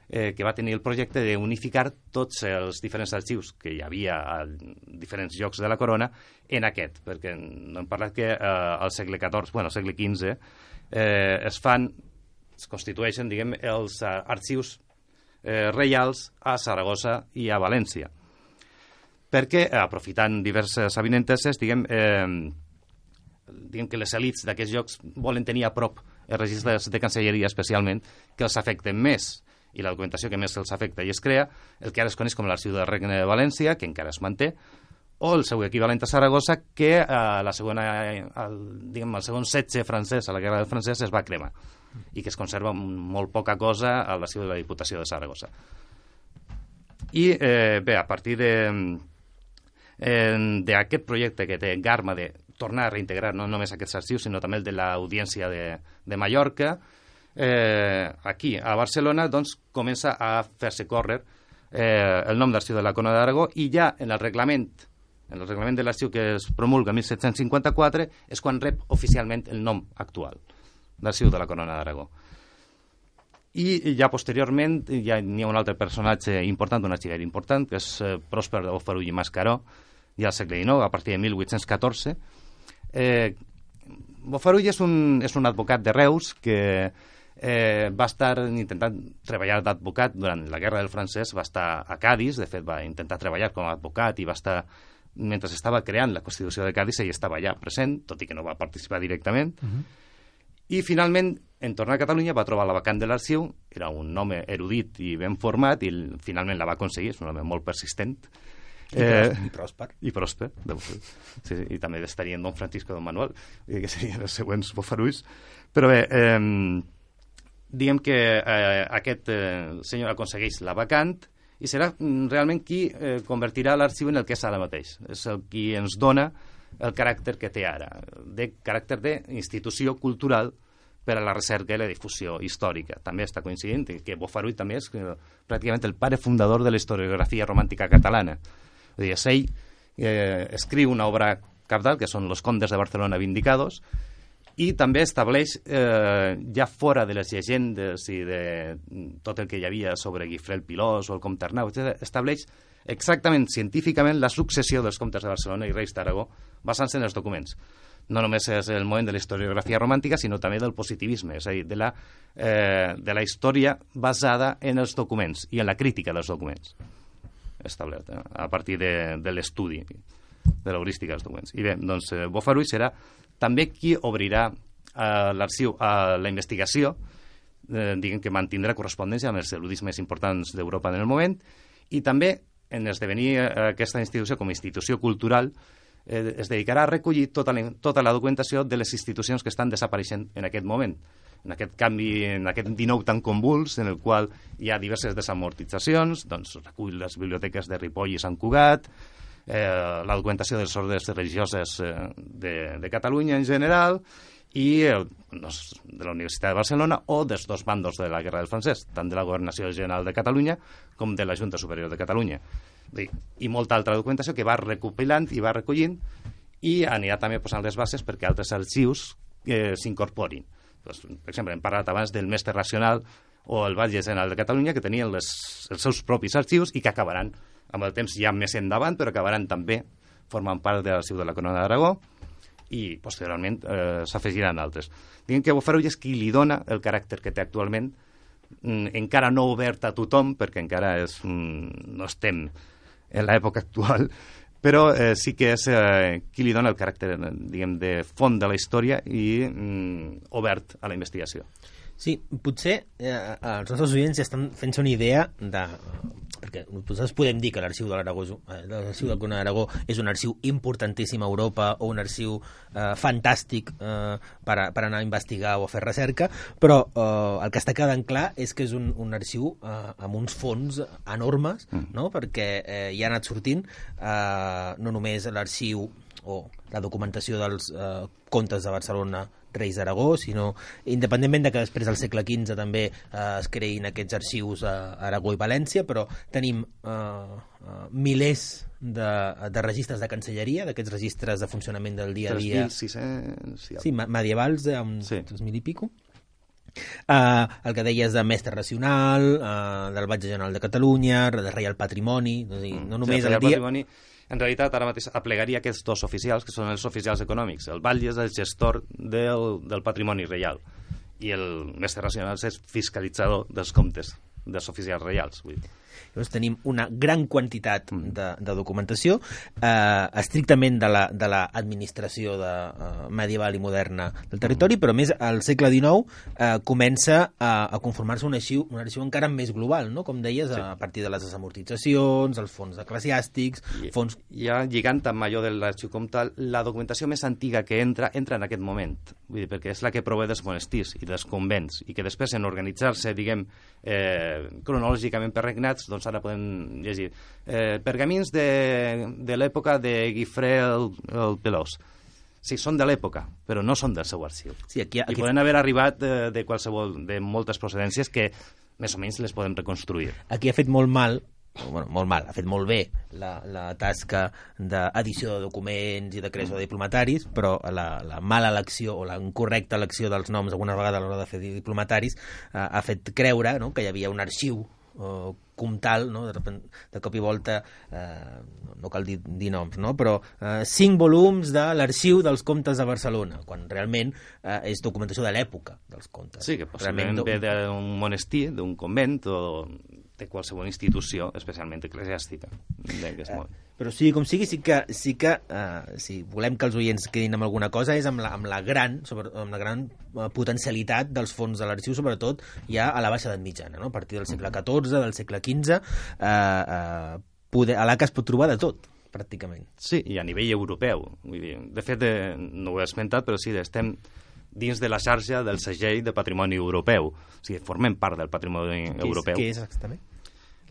S4: eh, que va tenir el projecte d'unificar tots els diferents arxius que hi havia a diferents llocs de la corona en aquest, perquè no hem parlat que eh, al segle catorze, bueno, al segle quinze, eh, es fan es constitueixen, diguem, els uh, arxius eh, reials a Saragossa i a València. Perquè, aprofitant diverses avinenteses, diguem, eh, diguem que les elits d'aquests llocs volen tenir a prop els registres de cancelleria especialment que els afecten més, i la documentació que més els afecta i es crea, el que ara es coneix com l'Arxiu del Regne de València, que encara es manté, o el seu equivalent a Saragossa, que a la segona, el, diguem, el segon setge francès, a la Guerra del Francès, es va cremar, i que es conserva molt poca cosa a l'Arxiu de la Diputació de Saragossa. I, eh, bé, a partir de d'aquest projecte que té Garma de tornar a reintegrar no només aquests arxius, sinó també el de l'Audiència de, de Mallorca, eh, aquí, a Barcelona, doncs, comença a fer-se córrer eh, el nom d'Arxiu de la Corona d'Aragó, i ja en el reglament, en el reglament de l'arxiu que es promulga en disset cinquanta-quatre, és quan rep oficialment el nom actual d'Arxiu de la Corona d'Aragó. I ja posteriorment ja n'hi ha un altre personatge important, un arxiver important, que és eh, Pròsper de Bofarull i Mascaró, ja al segle dinou, a partir de mil vuit-cents catorze. Eh, Bofarull és un, és un advocat de Reus que eh, va estar intentant treballar d'advocat durant la Guerra del Francès, va estar a Cádiz, de fet va intentar treballar com a advocat i va estar, mentre estava creant la Constitució de Cádiz, ell estava allà present, tot i que no va participar directament. Uh-huh. I finalment, en tornar a Catalunya, va trobar la vacant de l'arxiu, era un home erudit i ben format, i finalment la va aconseguir, és un home molt persistent.
S5: I, eh, i pròsper.
S4: I pròsper, sí, sí, i també estarien Don Francisco i Don Manuel, que serien els següents Bofarulls. Però bé, eh, diguem que eh, aquest eh, senyor aconsegueix la vacant i serà realment qui eh, convertirà l'arxiu en el que és ara mateix. És el qui ens dona el caràcter que té ara, de caràcter d'institució cultural per a la recerca i la difusió històrica. També està coincidint que Bofarull també és pràcticament el pare fundador de la historiografia romàntica catalana. És a dir, ell eh, escriu una obra cabdal, que són Los Condes de Barcelona Vindicados, i també estableix, eh, ja fora de les llegendes i de tot el que hi havia sobre Guifré el Pilós o el Comte Arnau, estableix exactament, científicament, la successió dels comtes de Barcelona i reis d'Aragó basant-se en els documents. No només és el moment de la historiografia romàntica, sinó també del positivisme, és a dir, de la, eh, de la història basada en els documents i en la crítica dels documents establert, eh, a partir de, de l'estudi de l'heurística dels documents. I bé, doncs, eh, Bofarull serà també qui obrirà eh, l'arxiu a la investigació, eh, diguem que mantindrà correspondència amb els erudits més importants d'Europa en el moment, i també en esdevenir aquesta institució com a institució cultural eh, es dedicarà a recollir tota la, tota la documentació de les institucions que estan desapareixent en aquest moment, en aquest canvi, en aquest dinou tan convuls, en el qual hi ha diverses desamortitzacions, doncs recull les biblioteques de Ripoll i Sant Cugat, eh, la documentació de les ordres religioses eh, de, de Catalunya en general, i el, doncs, de la Universitat de Barcelona o dels dos bandos de la Guerra del Francès, tant de la Governació General de Catalunya com de la Junta Superior de Catalunya. I molta altra documentació que va recopilant i va recollint, i anirà també posant les bases perquè altres arxius eh, s'incorporin. Doncs, per exemple, hem parlat abans del Mestre Racional o el Batlle General de Catalunya, que tenien les, els seus propis arxius i que acabaran amb el temps ja més endavant, però acabaran també formant part de l'arxiu de la Corona d'Aragó, i posteriorment eh, s'afegiran altres. Diguem que Bofarull és qui li dona el caràcter que té actualment, mm, encara no obert a tothom, perquè encara és, mm, no estem en l'època actual, però eh, sí que és eh, qui li dona el caràcter, diguem, de font de la història i mm, obert a la investigació.
S5: Sí, potser eh, els nostres oients ja estan fent-se una idea de... perquè nosaltres podem dir que l'arxiu de l'Aragó, eh, l'arxiu del Corona d'Aragó és un arxiu importantíssim a Europa o un arxiu eh, fantàstic eh, per, a, per anar a investigar o a fer recerca, però eh, el que està quedant clar és que és un, un arxiu eh, amb uns fons enormes, mm. no? Perquè eh, hi ha anat sortint eh, no només l'arxiu o la documentació dels eh, contes de Barcelona Reis d'Aragó, sinó independentment de que després del segle quinze també eh, es creïn aquests arxius a Aragó i València, però tenim eh, eh, milers de, de registres de cancelleria, d'aquests registres de funcionament del dia a dia.
S4: tres mil sis-cents...
S5: Sí, medievals, eh, amb
S4: sí.
S5: tres mil i pico. Uh, el que deies de Mestre Racional, uh, del Batlle General de Catalunya, de Reial Patrimoni, no, dir, no només
S4: sí,
S5: el, el dia...
S4: Patrimoni, en realitat, ara mateix aplegaria aquests dos oficials, que són els oficials econòmics. El batlle és el gestor del, del patrimoni reial i el mestre Racionals és fiscalitzador dels comptes dels oficials reials. Vull dir.
S5: Llavors tenim una gran quantitat de, de documentació eh, estrictament de la, de la administració de, eh, medieval i moderna del territori, però més al segle dinou eh, comença a, a conformar-se un arxiu, un arxiu encara més global, no? Com deies, sí. A partir de les desamortitzacions, els fons eclesiàstics...
S4: I,
S5: fons...
S4: Ja lligant amb allò de l'arxiu comtal, la documentació més antiga que entra, entra en aquest moment, vull dir, perquè és la que prové dels monestirs i dels convents, i que després en organitzar-se, diguem, eh, cronològicament per regnats, doncs ara podem llegir eh, pergamins de, de l'època de Guifré el, el Pelós. Sí, són de l'època, però no són del seu arxiu.
S5: Sí, aquí, aquí...
S4: I poden haver arribat de, de qualsevol, de moltes procedències que més o menys les podem reconstruir.
S5: Aquí ha fet molt mal, bueno, molt mal, ha fet molt bé la, la tasca d'edició de documents i de creació de diplomataris, però la, la mala elecció o la incorrecta elecció dels noms alguna vegada a l'hora de fer diplomataris eh, ha fet creure, no?, que hi havia un arxiu eh, comtal, no? de, de cop i volta eh, no cal dir, dir noms, no? Però eh, cinc volums de l'arxiu dels comtes de Barcelona, quan realment eh, és documentació de l'època dels comtes.
S4: Sí, que possiblement ve d'un monestir, d'un convent o de qualsevol institució, especialment eclesiàstica. Eh,
S5: però sí, com sigui, sí que, sí que eh, si volem que els oients quedin amb alguna cosa és amb la, amb la gran, sobre, amb la gran eh, potencialitat dels fons de l'arxiu, sobretot ja a la baixa edat mitjana, no? A partir del segle catorze, del segle quinze, eh, eh, poder, a l'A C A es pot trobar de tot, pràcticament.
S4: Sí, i a nivell europeu. Vull dir, de fet, eh, no ho he esmentat, però sí, estem dins de la xarxa del segell de patrimoni europeu. O sigui, formem part del patrimoni
S5: què
S4: europeu.
S5: És, què és exactament?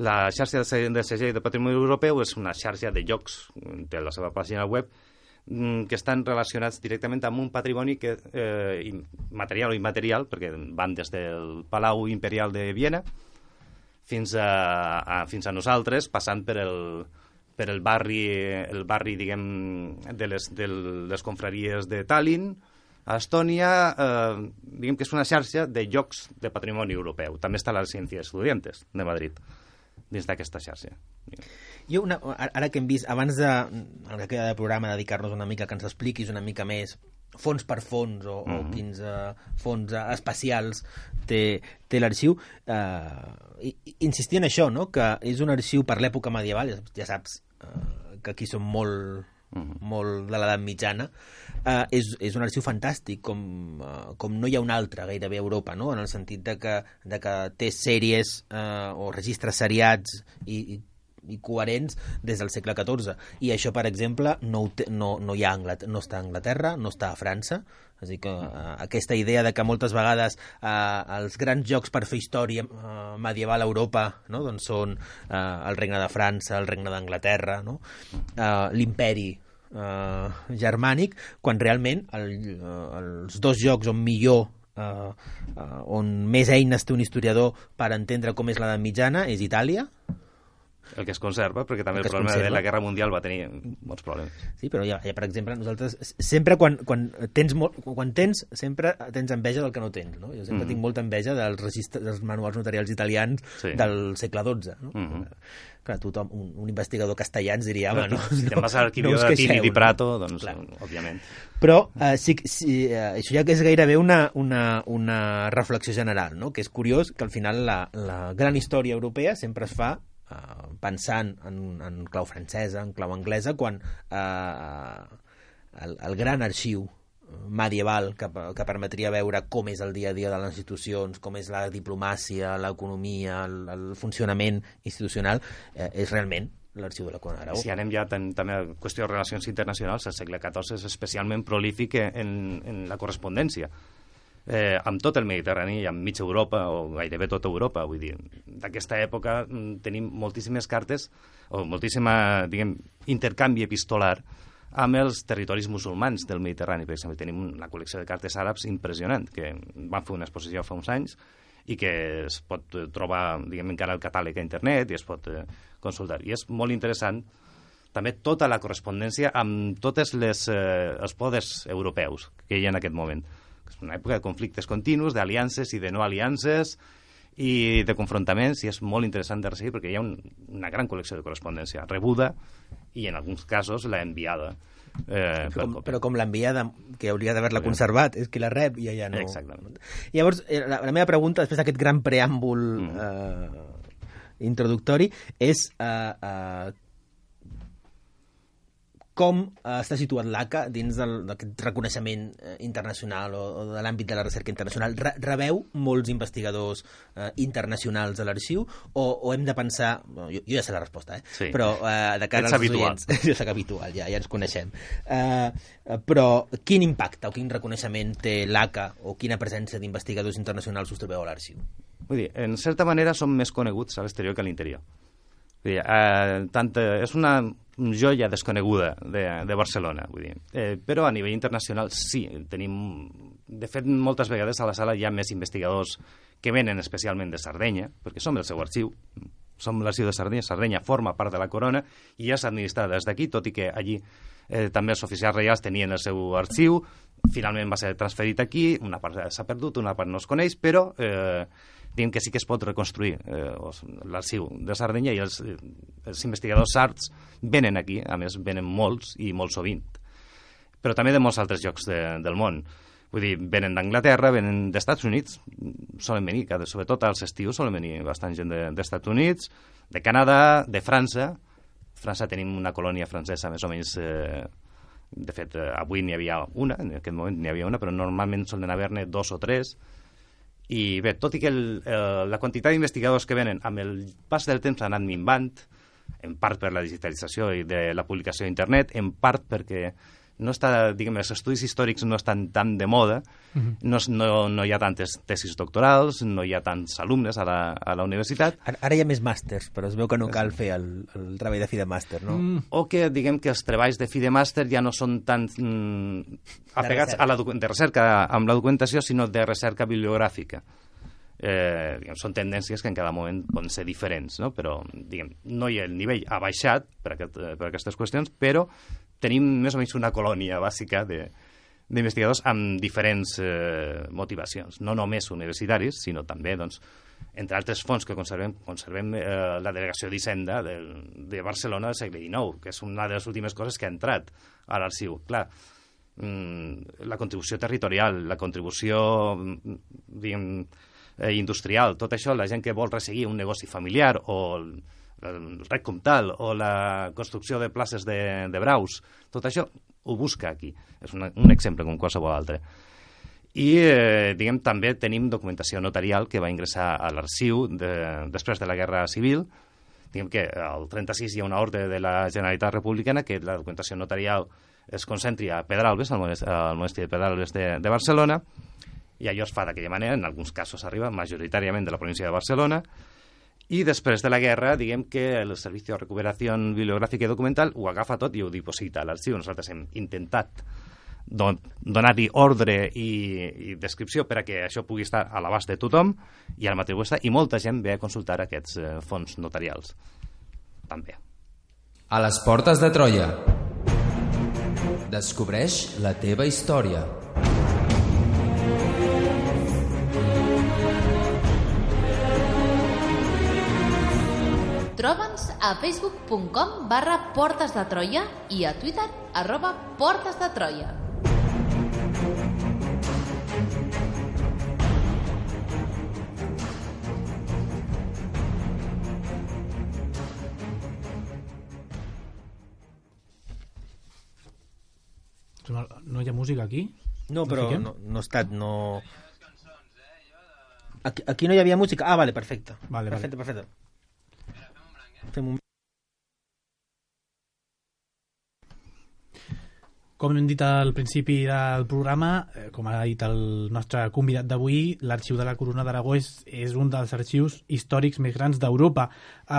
S4: La xarxa de segell de patrimoni europeu és una xarxa de llocs, té la seva pàgina web, que estan relacionats directament amb un patrimoni que, eh, material o immaterial, perquè van des del Palau Imperial de Viena fins a, a, fins a nosaltres, passant per el, per el barri, el barri diguem, de les, de les confraries de Tallinn, a Estònia, eh, diguem que és una xarxa de llocs de patrimoni europeu. També està la Ciencias Estudiantes de Madrid, dins d'aquesta xarxa.
S5: Jo, una, ara que hem vist, abans de, el que queda de programa, dedicar-nos una mica, que ens expliquis una mica més fons per fons o, mm-hmm. o quins uh, fons uh, especials té, té l'arxiu, eh, insistir en això, no? Que és un arxiu per l'època medieval, ja, ja saps uh, que aquí som molt... Uh-huh. molt de l'edat mitjana, uh, és, és un arxiu fantàstic, com, uh, com no hi ha un altre gairebé a Europa, no? En el sentit de que, de que té sèries uh, o registres seriats i, i, i coherents des del segle catorze. I això, per exemple, no, té, no, no, hi ha Anglat- no està a Anglaterra, no està a França. És a dir, que uh, aquesta idea de que moltes vegades uh, els grans jocs per fer història uh, medieval a Europa, no? Doncs són uh, el regne de França, el regne d'Anglaterra, no? uh, l'imperi uh, germànic, quan realment el, uh, els dos jocs on millor uh, uh, on més eines té un historiador per entendre com és l'edat mitjana és Itàlia.
S4: El que es conserva, perquè també el,
S5: el
S4: problema
S5: conserva.
S4: de la Guerra Mundial va tenir molts problemes.
S5: Sí, però ja, ja per exemple, nosaltres sempre quan, quan, tens molt, quan tens, sempre tens enveja del que no tens, no? Jo sempre mm. tinc molta enveja dels, registres, dels manuals notarials italians sí. del segle dotze, no? Mm -hmm. Clar, tothom, un, un investigador castellà ens diria, home, no,
S4: si
S5: no,
S4: te'n vas a l'arxiu
S5: no
S4: de Tini di Prato, doncs, clar. Òbviament.
S5: Però eh, sí, sí, eh, això ja que és gairebé una, una, una reflexió general, no? Que és curiós que al final la, la gran història europea sempre es fa Uh, pensant en, en clau francesa, en clau anglesa, quan uh, el, el gran arxiu medieval que, que permetria veure com és el dia a dia de les institucions, com és la diplomàcia, l'economia, el, el funcionament institucional, eh, és realment l'arxiu de la Corona d'Aragó.
S4: Si anem ja ten, també a qüestió de relacions internacionals, el segle catorze és especialment prolífic en, en la correspondència. Eh, amb tot el Mediterrani i amb mitja Europa o gairebé tota Europa, vull dir, d'aquesta època tenim moltíssimes cartes o moltíssima, diguem, intercanvi epistolar amb els territoris musulmans del Mediterrani. Per exemple, tenim una col·lecció de cartes àrabs impressionant, que van fer una exposició fa uns anys i que es pot trobar, diguem, encara al catàleg a internet i es pot eh, consultar. I és molt interessant també tota la correspondència amb tots eh, els poders europeus que hi ha en aquest moment. És una època de conflictes continus, d'aliances i de no aliances i de confrontaments, i és molt interessant de resseguir perquè hi ha un, una gran col·lecció de correspondència rebuda i en alguns casos la enviada. Eh,
S5: però, com, però com l'envia que hauria d'haver-la conservat, és que la rep i ja no...
S4: Exactament.
S5: Llavors, la, la meva pregunta, després d'aquest gran preàmbul mm. eh, introductori, és eh, eh, com eh, està situat l'A C A dins d'aquest reconeixement eh, internacional o, o de l'àmbit de la recerca internacional? Re rebeu molts investigadors eh, internacionals a l'arxiu o, o hem de pensar... Bueno, jo, jo ja sé la resposta, eh?
S4: Sí.
S5: Però eh, de cara
S4: Ets
S5: als
S4: habitual.
S5: oients... Jo soc habitual, ja, ja ens coneixem. Eh, però quin impacte o quin reconeixement té l'A C A o quina presència d'investigadors internacionals us trobeu a l'arxiu?
S4: Vull dir, en certa manera som més coneguts a l'exterior que a l'interior. Vull dir, eh, tant, eh, és una joia desconeguda de, de Barcelona, vull dir. Eh, però a nivell internacional sí, tenim... De fet, moltes vegades a la sala hi ha més investigadors que venen especialment de Sardenya, perquè som el seu arxiu, som l'arxiu de Sardenya, Sardenya forma part de la corona i ja s'ha administrat des d'aquí, tot i que allí eh, també els oficials reials tenien el seu arxiu, finalment va ser transferit aquí, una part s'ha perdut, una part no es coneix, però... Eh, diguem que sí que es pot reconstruir eh, l'arxiu de Sardenya i els, els investigadors sards venen aquí, a més venen molts i molt sovint, però també de molts altres llocs de, del món. Vull dir, venen d'Anglaterra, venen d'Estats Units, solen venir, sobretot als estius solen venir bastant gent d'Estats de, Units, de Canadà, de França. França tenim una colònia francesa més o menys... Eh, de fet, eh, avui n'hi havia una, en aquest moment n'hi havia una, però normalment solen haver-ne dos o tres. I bé, tot i que el, el, la quantitat d'investigadors que venen amb el pas del temps ha anat minvant, en part per la digitalització i de la publicació a internet, en part perquè no està, diguem, els estudis històrics no estan tan de moda, uh-huh. no, no, no hi ha tantes tesis doctorals, no hi ha tants alumnes a la, a la universitat.
S5: Ara, ara hi ha més màsters, però es veu que no cal fer el, el treball de fi de màster, no? Mm.
S4: O que, diguem, que els treballs de fi de màster ja no són tan mm, apegats a la de recerca amb la documentació, sinó de recerca bibliogràfica. Eh, diguem, són tendències que en cada moment poden ser diferents, no? Però diguem, no hi ha, el nivell ha baixat per, aquest, per aquestes qüestions, però tenim més o menys una colònia bàsica d'investigadors amb diferents eh, motivacions, no només universitaris, sinó també, doncs, entre altres fons que conservem, conservem eh, la delegació d'Hisenda de, de Barcelona del segle dinou, que és una de les últimes coses que ha entrat a l'arxiu. Clar, mm, la contribució territorial, la contribució, diguem, eh, industrial, tot això, la gent que vol resseguir un negoci familiar o el, el rec comtal o la construcció de places de, de braus, tot això ho busca aquí. És una, un exemple com qualsevol altre. I, eh, diguem, també tenim documentació notarial que va ingressar a l'arxiu de, després de la Guerra Civil. Diguem que al trenta-sis hi ha una ordre de la Generalitat Republicana que la documentació notarial es concentri a Pedralbes, al monestir, al monestir de Pedralbes de, de Barcelona, i allò es fa d'aquella manera, en alguns casos arriba majoritàriament de la província de Barcelona. I després de la guerra, diguem que el Servicio de Recuperación Bibliográfica i Documental ho agafa tot i ho diposita a l'arxiu. Nosaltres hem intentat don donar-hi ordre i, i descripció per a que això pugui estar a l'abast de tothom i al mateix està, i molta gent ve a consultar aquests eh, fons notarials. També.
S2: A les portes de Troia. Descobreix la teva història.
S1: Troba'ns a facebook punt com barra Portes de Troia i a Twitter arroba Portes de Troia.
S3: No, no hi ha música aquí?
S5: No, però no, no ha estat... No... Aquí, aquí no hi havia música? Ah, vale, perfecte.
S3: Vale,
S5: perfecte,
S3: vale.
S5: perfecte. Fem un...
S3: Com hem dit al principi del programa, eh, com ha dit el nostre convidat d'avui, l'Arxiu de la Corona d'Aragó és, és un dels arxius històrics més grans d'Europa. Eh,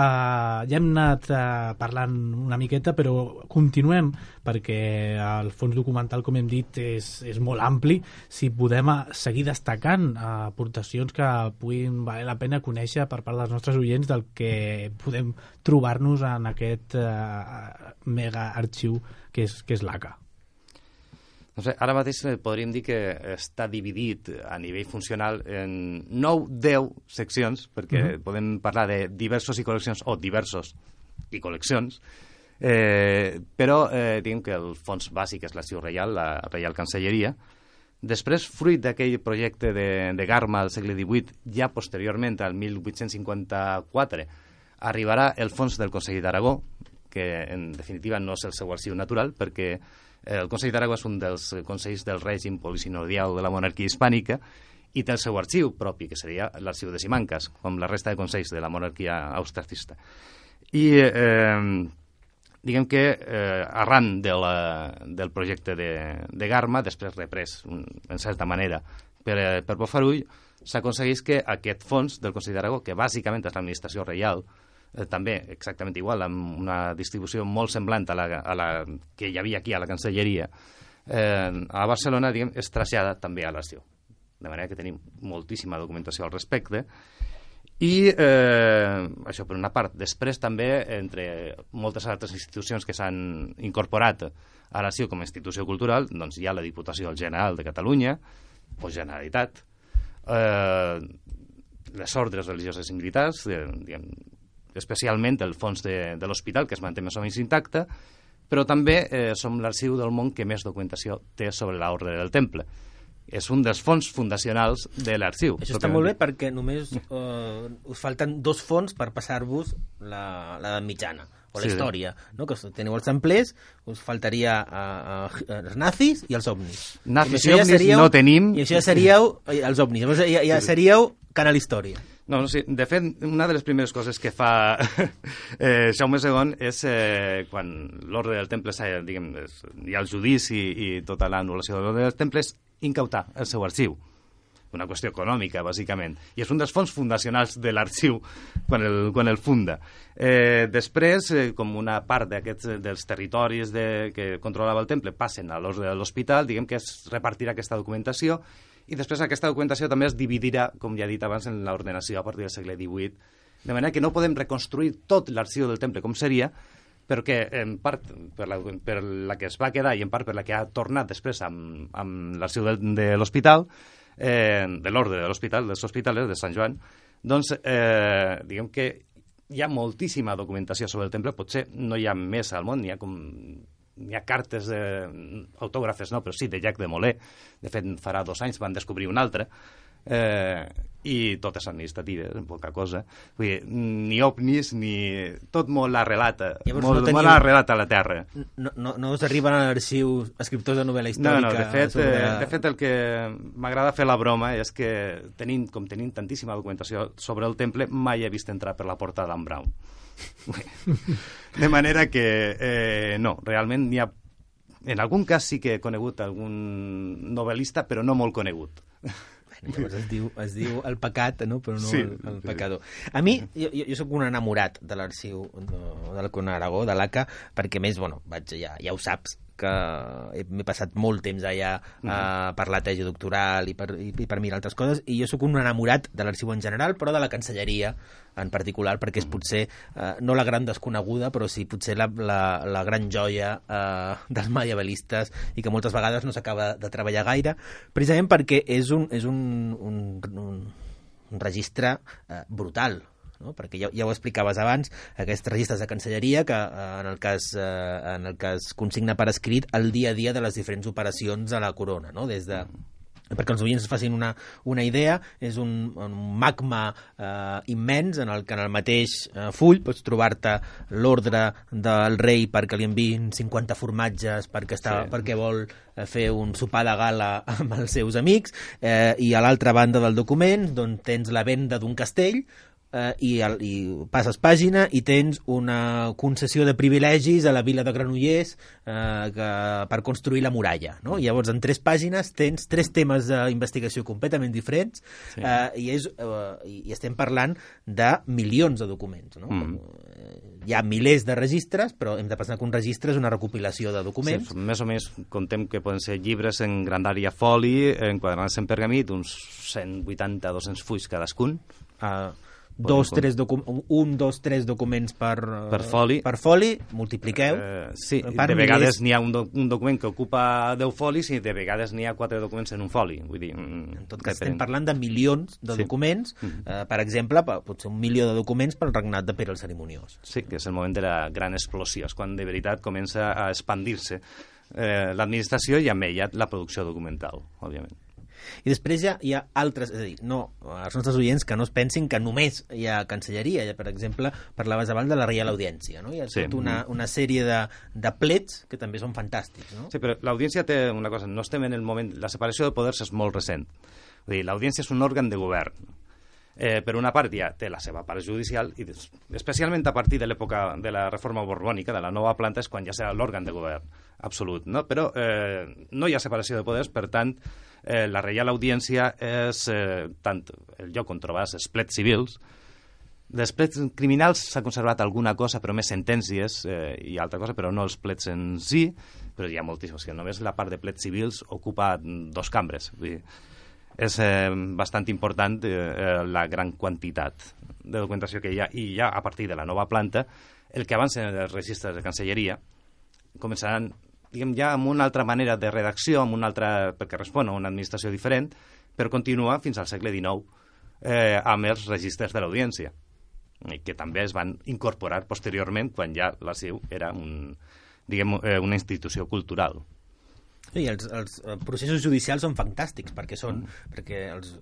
S3: ja hem anat eh, parlant una miqueta, però continuem, perquè el fons documental, com hem dit, és, és molt ampli. Si podem eh, seguir destacant eh, aportacions que puguin valer la pena conèixer per part dels nostres oients del que podem trobar-nos en aquest eh, mega arxiu que és, que és l'A C A.
S4: No sé, ara mateix podríem dir que està dividit a nivell funcional en nou deu seccions, perquè uh-huh. podem parlar de diversos i col·leccions o diversos i col·leccions, Eh, però eh, diguem que el fons bàsic és l'Arxiu Reial, la Reial Cancelleria. Després, fruit d'aquell projecte de, de Garma al segle divuit, ja posteriorment, al mil vuit-cents cinquanta-quatre, arribarà el fons del Consell d'Aragó, que en definitiva no és el seu arxiu natural, perquè el Consell d'Aragó és un dels consells del règim polisinodial de la monarquia hispànica i té el seu arxiu propi, que seria l'arxiu de Simancas, com la resta de consells de la monarquia austracista. I eh, diguem que eh, arran de la, del projecte de, de Garma, després reprès, un, en certa manera, per, per Bofarull, s'aconsegueix que aquest fons del Consell d'Aragó, que bàsicament és l'administració reial, eh, també exactament igual, amb una distribució molt semblant a la, a la que hi havia aquí a la Cancelleria, eh, a Barcelona, diguem, es trasllada també a l'arxiu. De manera que tenim moltíssima documentació al respecte. I eh, això per una part. Després també, entre moltes altres institucions que s'han incorporat a l'arxiu com a institució cultural, doncs hi ha la Diputació General de Catalunya, o Generalitat, eh, les ordres religioses i militars, eh, diguem, especialment el fons de, de l'hospital, que es manté més o menys intacte, però també eh, som l'arxiu del món que més documentació té sobre l'ordre del Temple. És un dels fons fundacionals de l'arxiu.
S5: Això està molt bé perquè només eh, us falten dos fons per passar-vos la, la mitjana o la sí, història, no? Que teniu els templers, us faltaria uh, uh, els nazis i els ovnis.
S4: Nazis i, i ovnis ja seríeu, no tenim.
S5: I això ja seríeu els ovnis, llavors ja, ja seríeu Canal Història.
S4: No, no, sí. De fet, una de les primeres coses que fa eh, Jaume segon és eh, quan l'ordre del Temple diguem, hi ha el judici i tota l'anul·lació de l'ordre del Temple, és incautar el seu arxiu. Una qüestió econòmica, bàsicament. I és un dels fons fundacionals de l'arxiu quan el, quan el funda. Eh, després, eh, com una part d'aquests dels territoris de, que controlava el Temple passen a l'ordre de l'hospital, diguem que es repartirà aquesta documentació i després aquesta documentació també es dividirà, com ja he dit abans, en l'ordenació a partir del segle divuit, de manera que no podem reconstruir tot l'arxiu del Temple com seria, perquè en part per la, per la que es va quedar i en part per la que ha tornat després amb, amb l'arxiu de, de l'hospital, eh, de l'ordre de l'hospital, dels hospitals de Sant Joan, doncs eh, diguem que hi ha moltíssima documentació sobre el Temple, potser no hi ha més al món, n'hi ha com... Hi ha cartes eh, autògrafes, no, però sí, de Llac de Molé. De fet, farà dos anys van descobrir un altre. Eh, i totes administratives, en poca cosa. Vull dir, ni ovnis, ni... Tot molt arrelat, molt, no teniu... molt arrelat a la Terra.
S5: No, no, no us arriben a l'arxiu escriptors de novel·la històrica?
S4: No, no, de fet,
S5: sobre...
S4: eh, de fet el que m'agrada fer la broma és que tenim, com tenim tantíssima documentació sobre el Temple, mai he vist entrar per la porta d'en Brown. De manera que eh, no, realment n'hi ha, en algun cas sí que he conegut algun novel·lista, però no molt conegut.
S5: Llavors es diu, es diu el pecat, no? Però no
S4: sí,
S5: el, el pecador. A mi, jo, jo soc un enamorat de l'arxiu de, de l'Alcona Aragó, de l'A C A, perquè més, bueno, vaig, ja, ja ho saps, que m'he passat molt temps allà uh, uh, per la tesi doctoral i per, i, i per mirar altres coses, i jo sóc un enamorat de l'arxiu en general, però de la Cancelleria en particular, perquè és potser uh, no la gran desconeguda, però sí potser la, la, la gran joia uh, dels medievalistes i que moltes vegades no s'acaba de treballar gaire, precisament perquè és un, és un, un, un, un registre uh, brutal, no? Perquè ja, ja ho explicaves abans, aquests registres de Cancelleria que eh, en, el cas, eh, en el cas consigna per escrit el dia a dia de les diferents operacions a la corona, no? Des de... perquè els oients es facin una, una idea, és un, un magma eh, immens en el que en el mateix eh, full pots trobar-te l'ordre del rei perquè li enviïn cinquanta formatges perquè, està, sí. perquè vol eh, fer un sopar de gala amb els seus amics, eh, i a l'altra banda del document doncs, tens la venda d'un castell, Uh, i, el, i passes pàgina i tens una concessió de privilegis a la vila de Granollers uh, que, per construir la muralla, no? I llavors en tres pàgines tens tres temes d'investigació completament diferents, sí. uh, i, és, uh, i estem parlant de milions de documents, no? Mm. Uh, hi ha milers de registres, però hem de pensar que un registre és una recopilació de documents.
S4: Sí, més o més contem que poden ser llibres en grandària foli, enquadrats en pergamí, d'uns cent vuitanta a dos-cents fulls cadascun.
S5: Uh, dos, tres docu un, dos, tres documents per,
S4: per foli,
S5: per foli multipliqueu.
S4: Eh, sí, de vegades n'hi ha un, do un document que ocupa deu folis i de vegades n'hi ha quatre documents en un foli. Vull dir,
S5: en tot cas, estem parlant de milions de sí. documents, eh, per exemple, potser un milió de documents pel regnat de Pere el Cerimoniós.
S4: Sí, que és el moment de la gran explosió, és quan de veritat comença a expandir-se eh, l'administració i amb ella la producció documental, òbviament.
S5: I després ja hi ha altres, és a dir, no, els nostres oients que no es pensin que només hi ha cancelleria. Ja, per exemple, parlaves abans de la Reial Audiència, no? Hi ha sí. tota una, una sèrie de, de plets que també són fantàstics, no?
S4: Sí, però l'Audiència té una cosa, no estem en el moment... La separació de poders és molt recent. Vull dir, l'Audiència és un òrgan de govern. Eh, per una part ja té la seva part judicial i especialment a partir de l'època de la reforma borbònica, de la nova planta, és quan ja serà l'òrgan de govern absolut, no? Però eh, no hi ha separació de poders, per tant, eh, la Reial Audiència és eh, tant el lloc on trobaràs els plets civils. Dels plets criminals s'ha conservat alguna cosa, però més sentències eh, i altra cosa, però no els plets en si, però hi ha moltíssims, que només la part de plets civils ocupa dos cambres. Vull dir, és eh, bastant important eh, la gran quantitat de documentació que hi ha, i ja a partir de la nova planta, el que abans en els registres de Cancelleria començaran, diguem, ja amb una altra manera de redacció, amb una altra, perquè respon a una administració diferent, per continuar fins al segle dinou eh, amb els registres de l'Audiència, que també es van incorporar posteriorment quan ja l'Arxiu era un, diguem, eh, una institució cultural.
S5: I els, els processos judicials són fantàstics perquè són, mm. perquè els,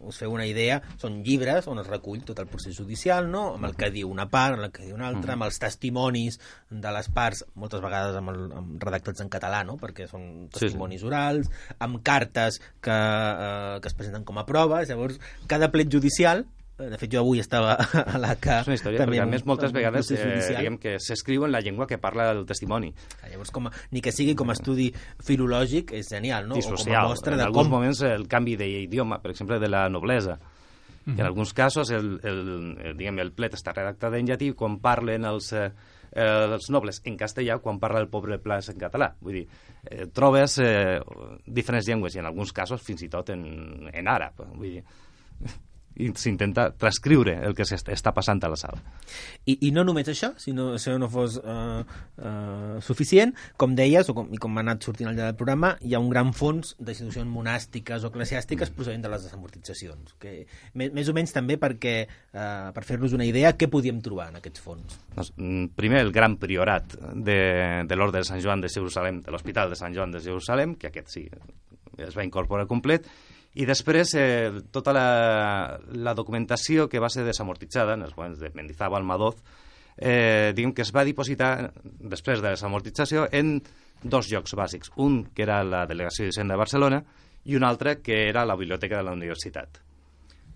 S5: us feu una idea, són llibres on es recull tot el procés judicial, no? Amb el que diu una part, amb el que diu una altra, mm. amb els testimonis de les parts, moltes vegades amb, el, amb redactats en català, no? Perquè són testimonis sí, sí. orals, amb cartes que, eh, que es presenten com a proves. Llavors, cada plet judicial, de fet jo avui estava a la que...
S4: És una història, perquè a més moltes vegades eh, diguem que s'escriu en la llengua que parla el testimoni.
S5: Llavors, com a, ni que sigui com a estudi filològic, és genial, no?
S4: I social. O com a mostra en de alguns com... moments el canvi d'idioma, per exemple, de la noblesa. Mm-hmm. En alguns casos el, el, el, diguem, el plet està redactat en llatí quan parlen els, eh, els nobles en castellà, quan parla el poble plas en català. Vull dir, eh, trobes eh, diferents llengües i en alguns casos fins i tot en, en àrab. Vull dir, i s'intenta transcriure el que està passant a la sala.
S5: I, i no només això, si no, això no fos uh, uh, suficient, com deies, o com, i com ha anat sortint al llarg del programa, hi ha un gran fons d'institucions monàstiques o eclesiàstiques procedent de les desamortitzacions, que més, més o menys també perquè, uh, per fer-nos una idea, què podíem trobar en aquests fons?
S4: Doncs, primer, el gran priorat de, de l'Orde de Sant Joan de Jerusalem, de l'Hospital de Sant Joan de Jerusalem, que aquest sí es va incorporar complet, i després eh, tota la, la documentació que va ser desamortitzada en els moments de Mendizábal, Madoz, eh, diguem que es va dipositar després de la desamortització en dos llocs bàsics. Un, que era la Delegació d'Hisenda de Barcelona, i un altre, que era la Biblioteca de la Universitat.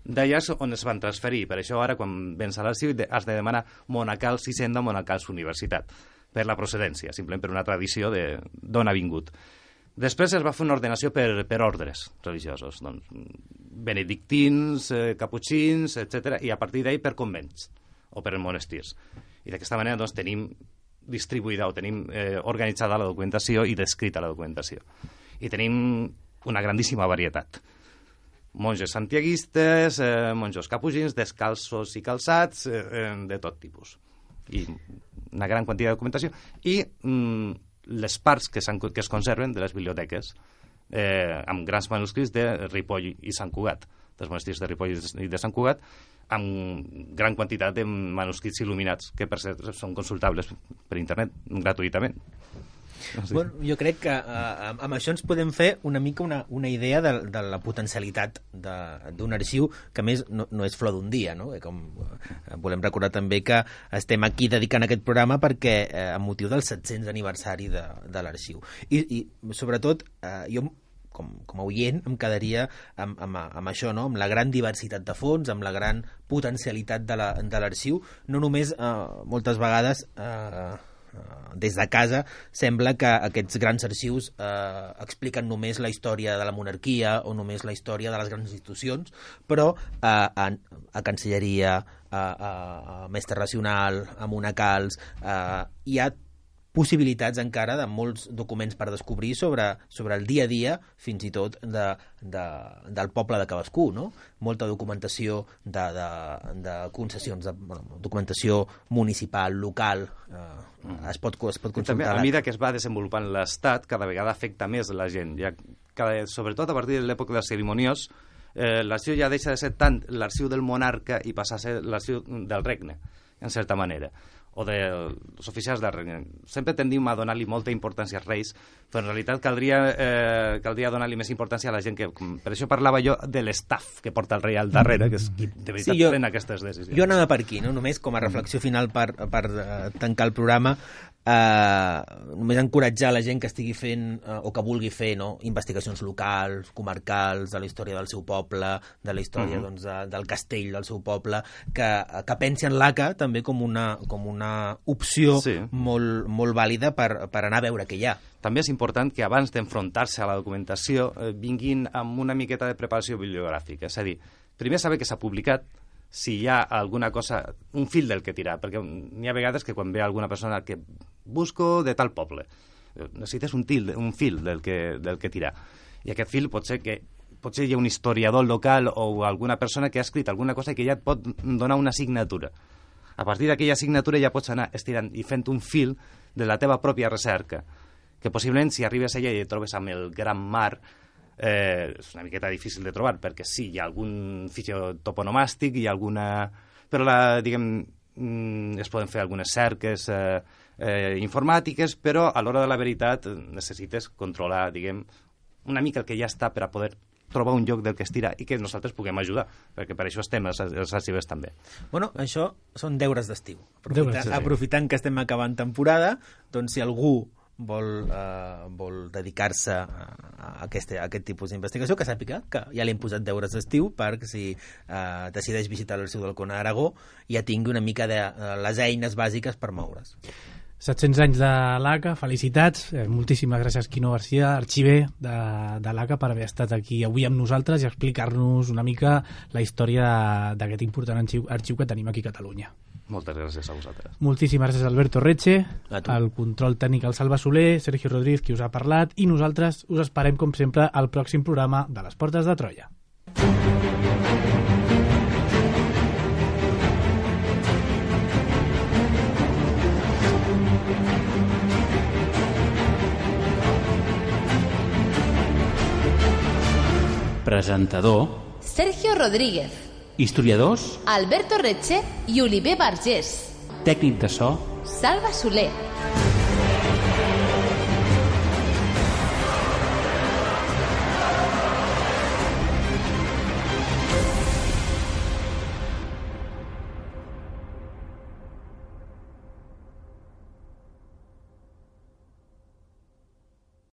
S4: D'allà és on es van transferir. Per això ara, quan vens a l'arxiu, has de demanar Monacals Hisenda, Monacals Universitat, per la procedència, simplement per una tradició d'on ha vingut. Després es va fer una ordenació per, per ordres religiosos, doncs, benedictins, eh, caputxins, etcètera, i a partir d'ahir per convents o per monestirs. I d'aquesta manera doncs, tenim distribuïda o tenim eh, organitzada la documentació i descrita la documentació. I tenim una grandíssima varietat. Monges santiaguistes, eh, monjos caputxins, descalços i calçats, eh, de tot tipus. I una gran quantitat de documentació. I... Mm, les parts que, que es conserven de les biblioteques eh, amb grans manuscrits de Ripoll i Sant Cugat, dels monestirs de Ripoll i de Sant Cugat, amb gran quantitat de manuscrits il·luminats que per cert són consultables per internet gratuïtament. Sí.
S5: Bueno, jo crec que uh, amb això ens podem fer una mica una, una idea de, de la potencialitat d'un arxiu que a més no, no és flor d'un dia, no? Com, uh, volem recordar també que estem aquí dedicant aquest programa perquè uh, amb motiu del set-cents aniversari de, de l'arxiu. I, i sobretot uh, jo com, com a oient em quedaria amb, amb, amb això, no? Amb la gran diversitat de fons, amb la gran potencialitat de l'arxiu, no només uh, moltes vegades uh, des de casa sembla que aquests grans arxius eh, expliquen només la història de la monarquia o només la història de les grans institucions, però eh, a, a Cancelleria, a, a, a Mestre Racional, a Monacals, eh, hi ha possibilitats encara de molts documents per descobrir sobre, sobre el dia a dia, fins i tot de, de, del poble de cadascú, no? Molta documentació de, de, de concessions, de, bueno, documentació municipal, local, eh, es pot, es pot consultar.
S4: També, a mesura que es va desenvolupant l'Estat, cada vegada afecta més la gent. Ja, cada, sobretot a partir de l'època dels cerimoniós, eh, l'arxiu ja deixa de ser tant l'arxiu del monarca i passa a ser l'arxiu del regne, en certa manera, o dels oficials del regne. Sempre tendim a donar-li molta importància als reis, però en realitat caldria, eh, caldria donar-li més importància a la gent que... Per això parlava jo de l'estaf que porta el rei al darrere, que és qui de veritat sí, jo, pren aquestes decisions.
S5: Jo anava per aquí, no? Només com a reflexió final per, per uh, tancar el programa, uh, només encoratjar la gent que estigui fent uh, o que vulgui fer, no? Investigacions locals, comarcals, de la història del seu poble, de la història uh-huh. doncs, de, del castell del seu poble, que, que pensi en l'A C A també com una, com una opció sí. molt, molt vàlida per, per anar a veure què hi ha.
S4: També és important que abans d'enfrontar-se a la documentació eh, vinguin amb una miqueta de preparació bibliogràfica. És a dir, primer saber que s'ha publicat, si hi ha alguna cosa, un fil del que tirar, perquè n'hi ha vegades que quan ve alguna persona que busco de tal poble, necessites un, til, un fil del que, del que tirar. I aquest fil pot ser que potser hi ha un historiador local o alguna persona que ha escrit alguna cosa que ja et pot donar una signatura. A partir d'aquella signatura ja pots anar estirant i fent un fil de la teva pròpia recerca, que possiblement si arribes allà i et trobes amb el gran mar, eh, és una miqueta difícil de trobar, perquè sí, hi ha algun fitxer toponomàstic, hi ha alguna... però la, diguem, es poden fer algunes cerques eh, eh, informàtiques, però a l'hora de la veritat necessites controlar, diguem, una mica el que ja està per a poder trobar un lloc del que estirar i que nosaltres puguem ajudar, perquè per això estem els, els arxivers també.
S5: Bueno, això són deures d'estiu. Aprofitant, aprofitant que estem acabant temporada, doncs si algú vol, uh, vol dedicar-se a, a, aquest, a aquest tipus d'investigació, que sàpiga que ja li hem posat deures d'estiu perquè si uh, decideix visitar l'arxiu del Comte d'Aragó ja tingui una mica de uh, les eines bàsiques per moure's.
S3: set-cents anys de l'A C A, felicitats. Eh, moltíssimes gràcies, Quino Garcia, arxiver de, de l'A C A, per haver estat aquí avui amb nosaltres i explicar-nos una mica la història d'aquest important arxiu, arxiu que tenim aquí a Catalunya.
S4: Moltes gràcies a vosaltres.
S3: Moltíssimes gràcies, Alberto Reche, el control tècnic al Salva Soler, Sergio Rodríguez, qui us ha parlat, i nosaltres us esperem, com sempre, al pròxim programa de les Portes de Troia.
S6: Presentador
S1: Sergio Rodríguez.
S6: Historiadors
S1: Alberto Reche i Oliver Vergés.
S6: Tècnic de so
S1: Salva Soler.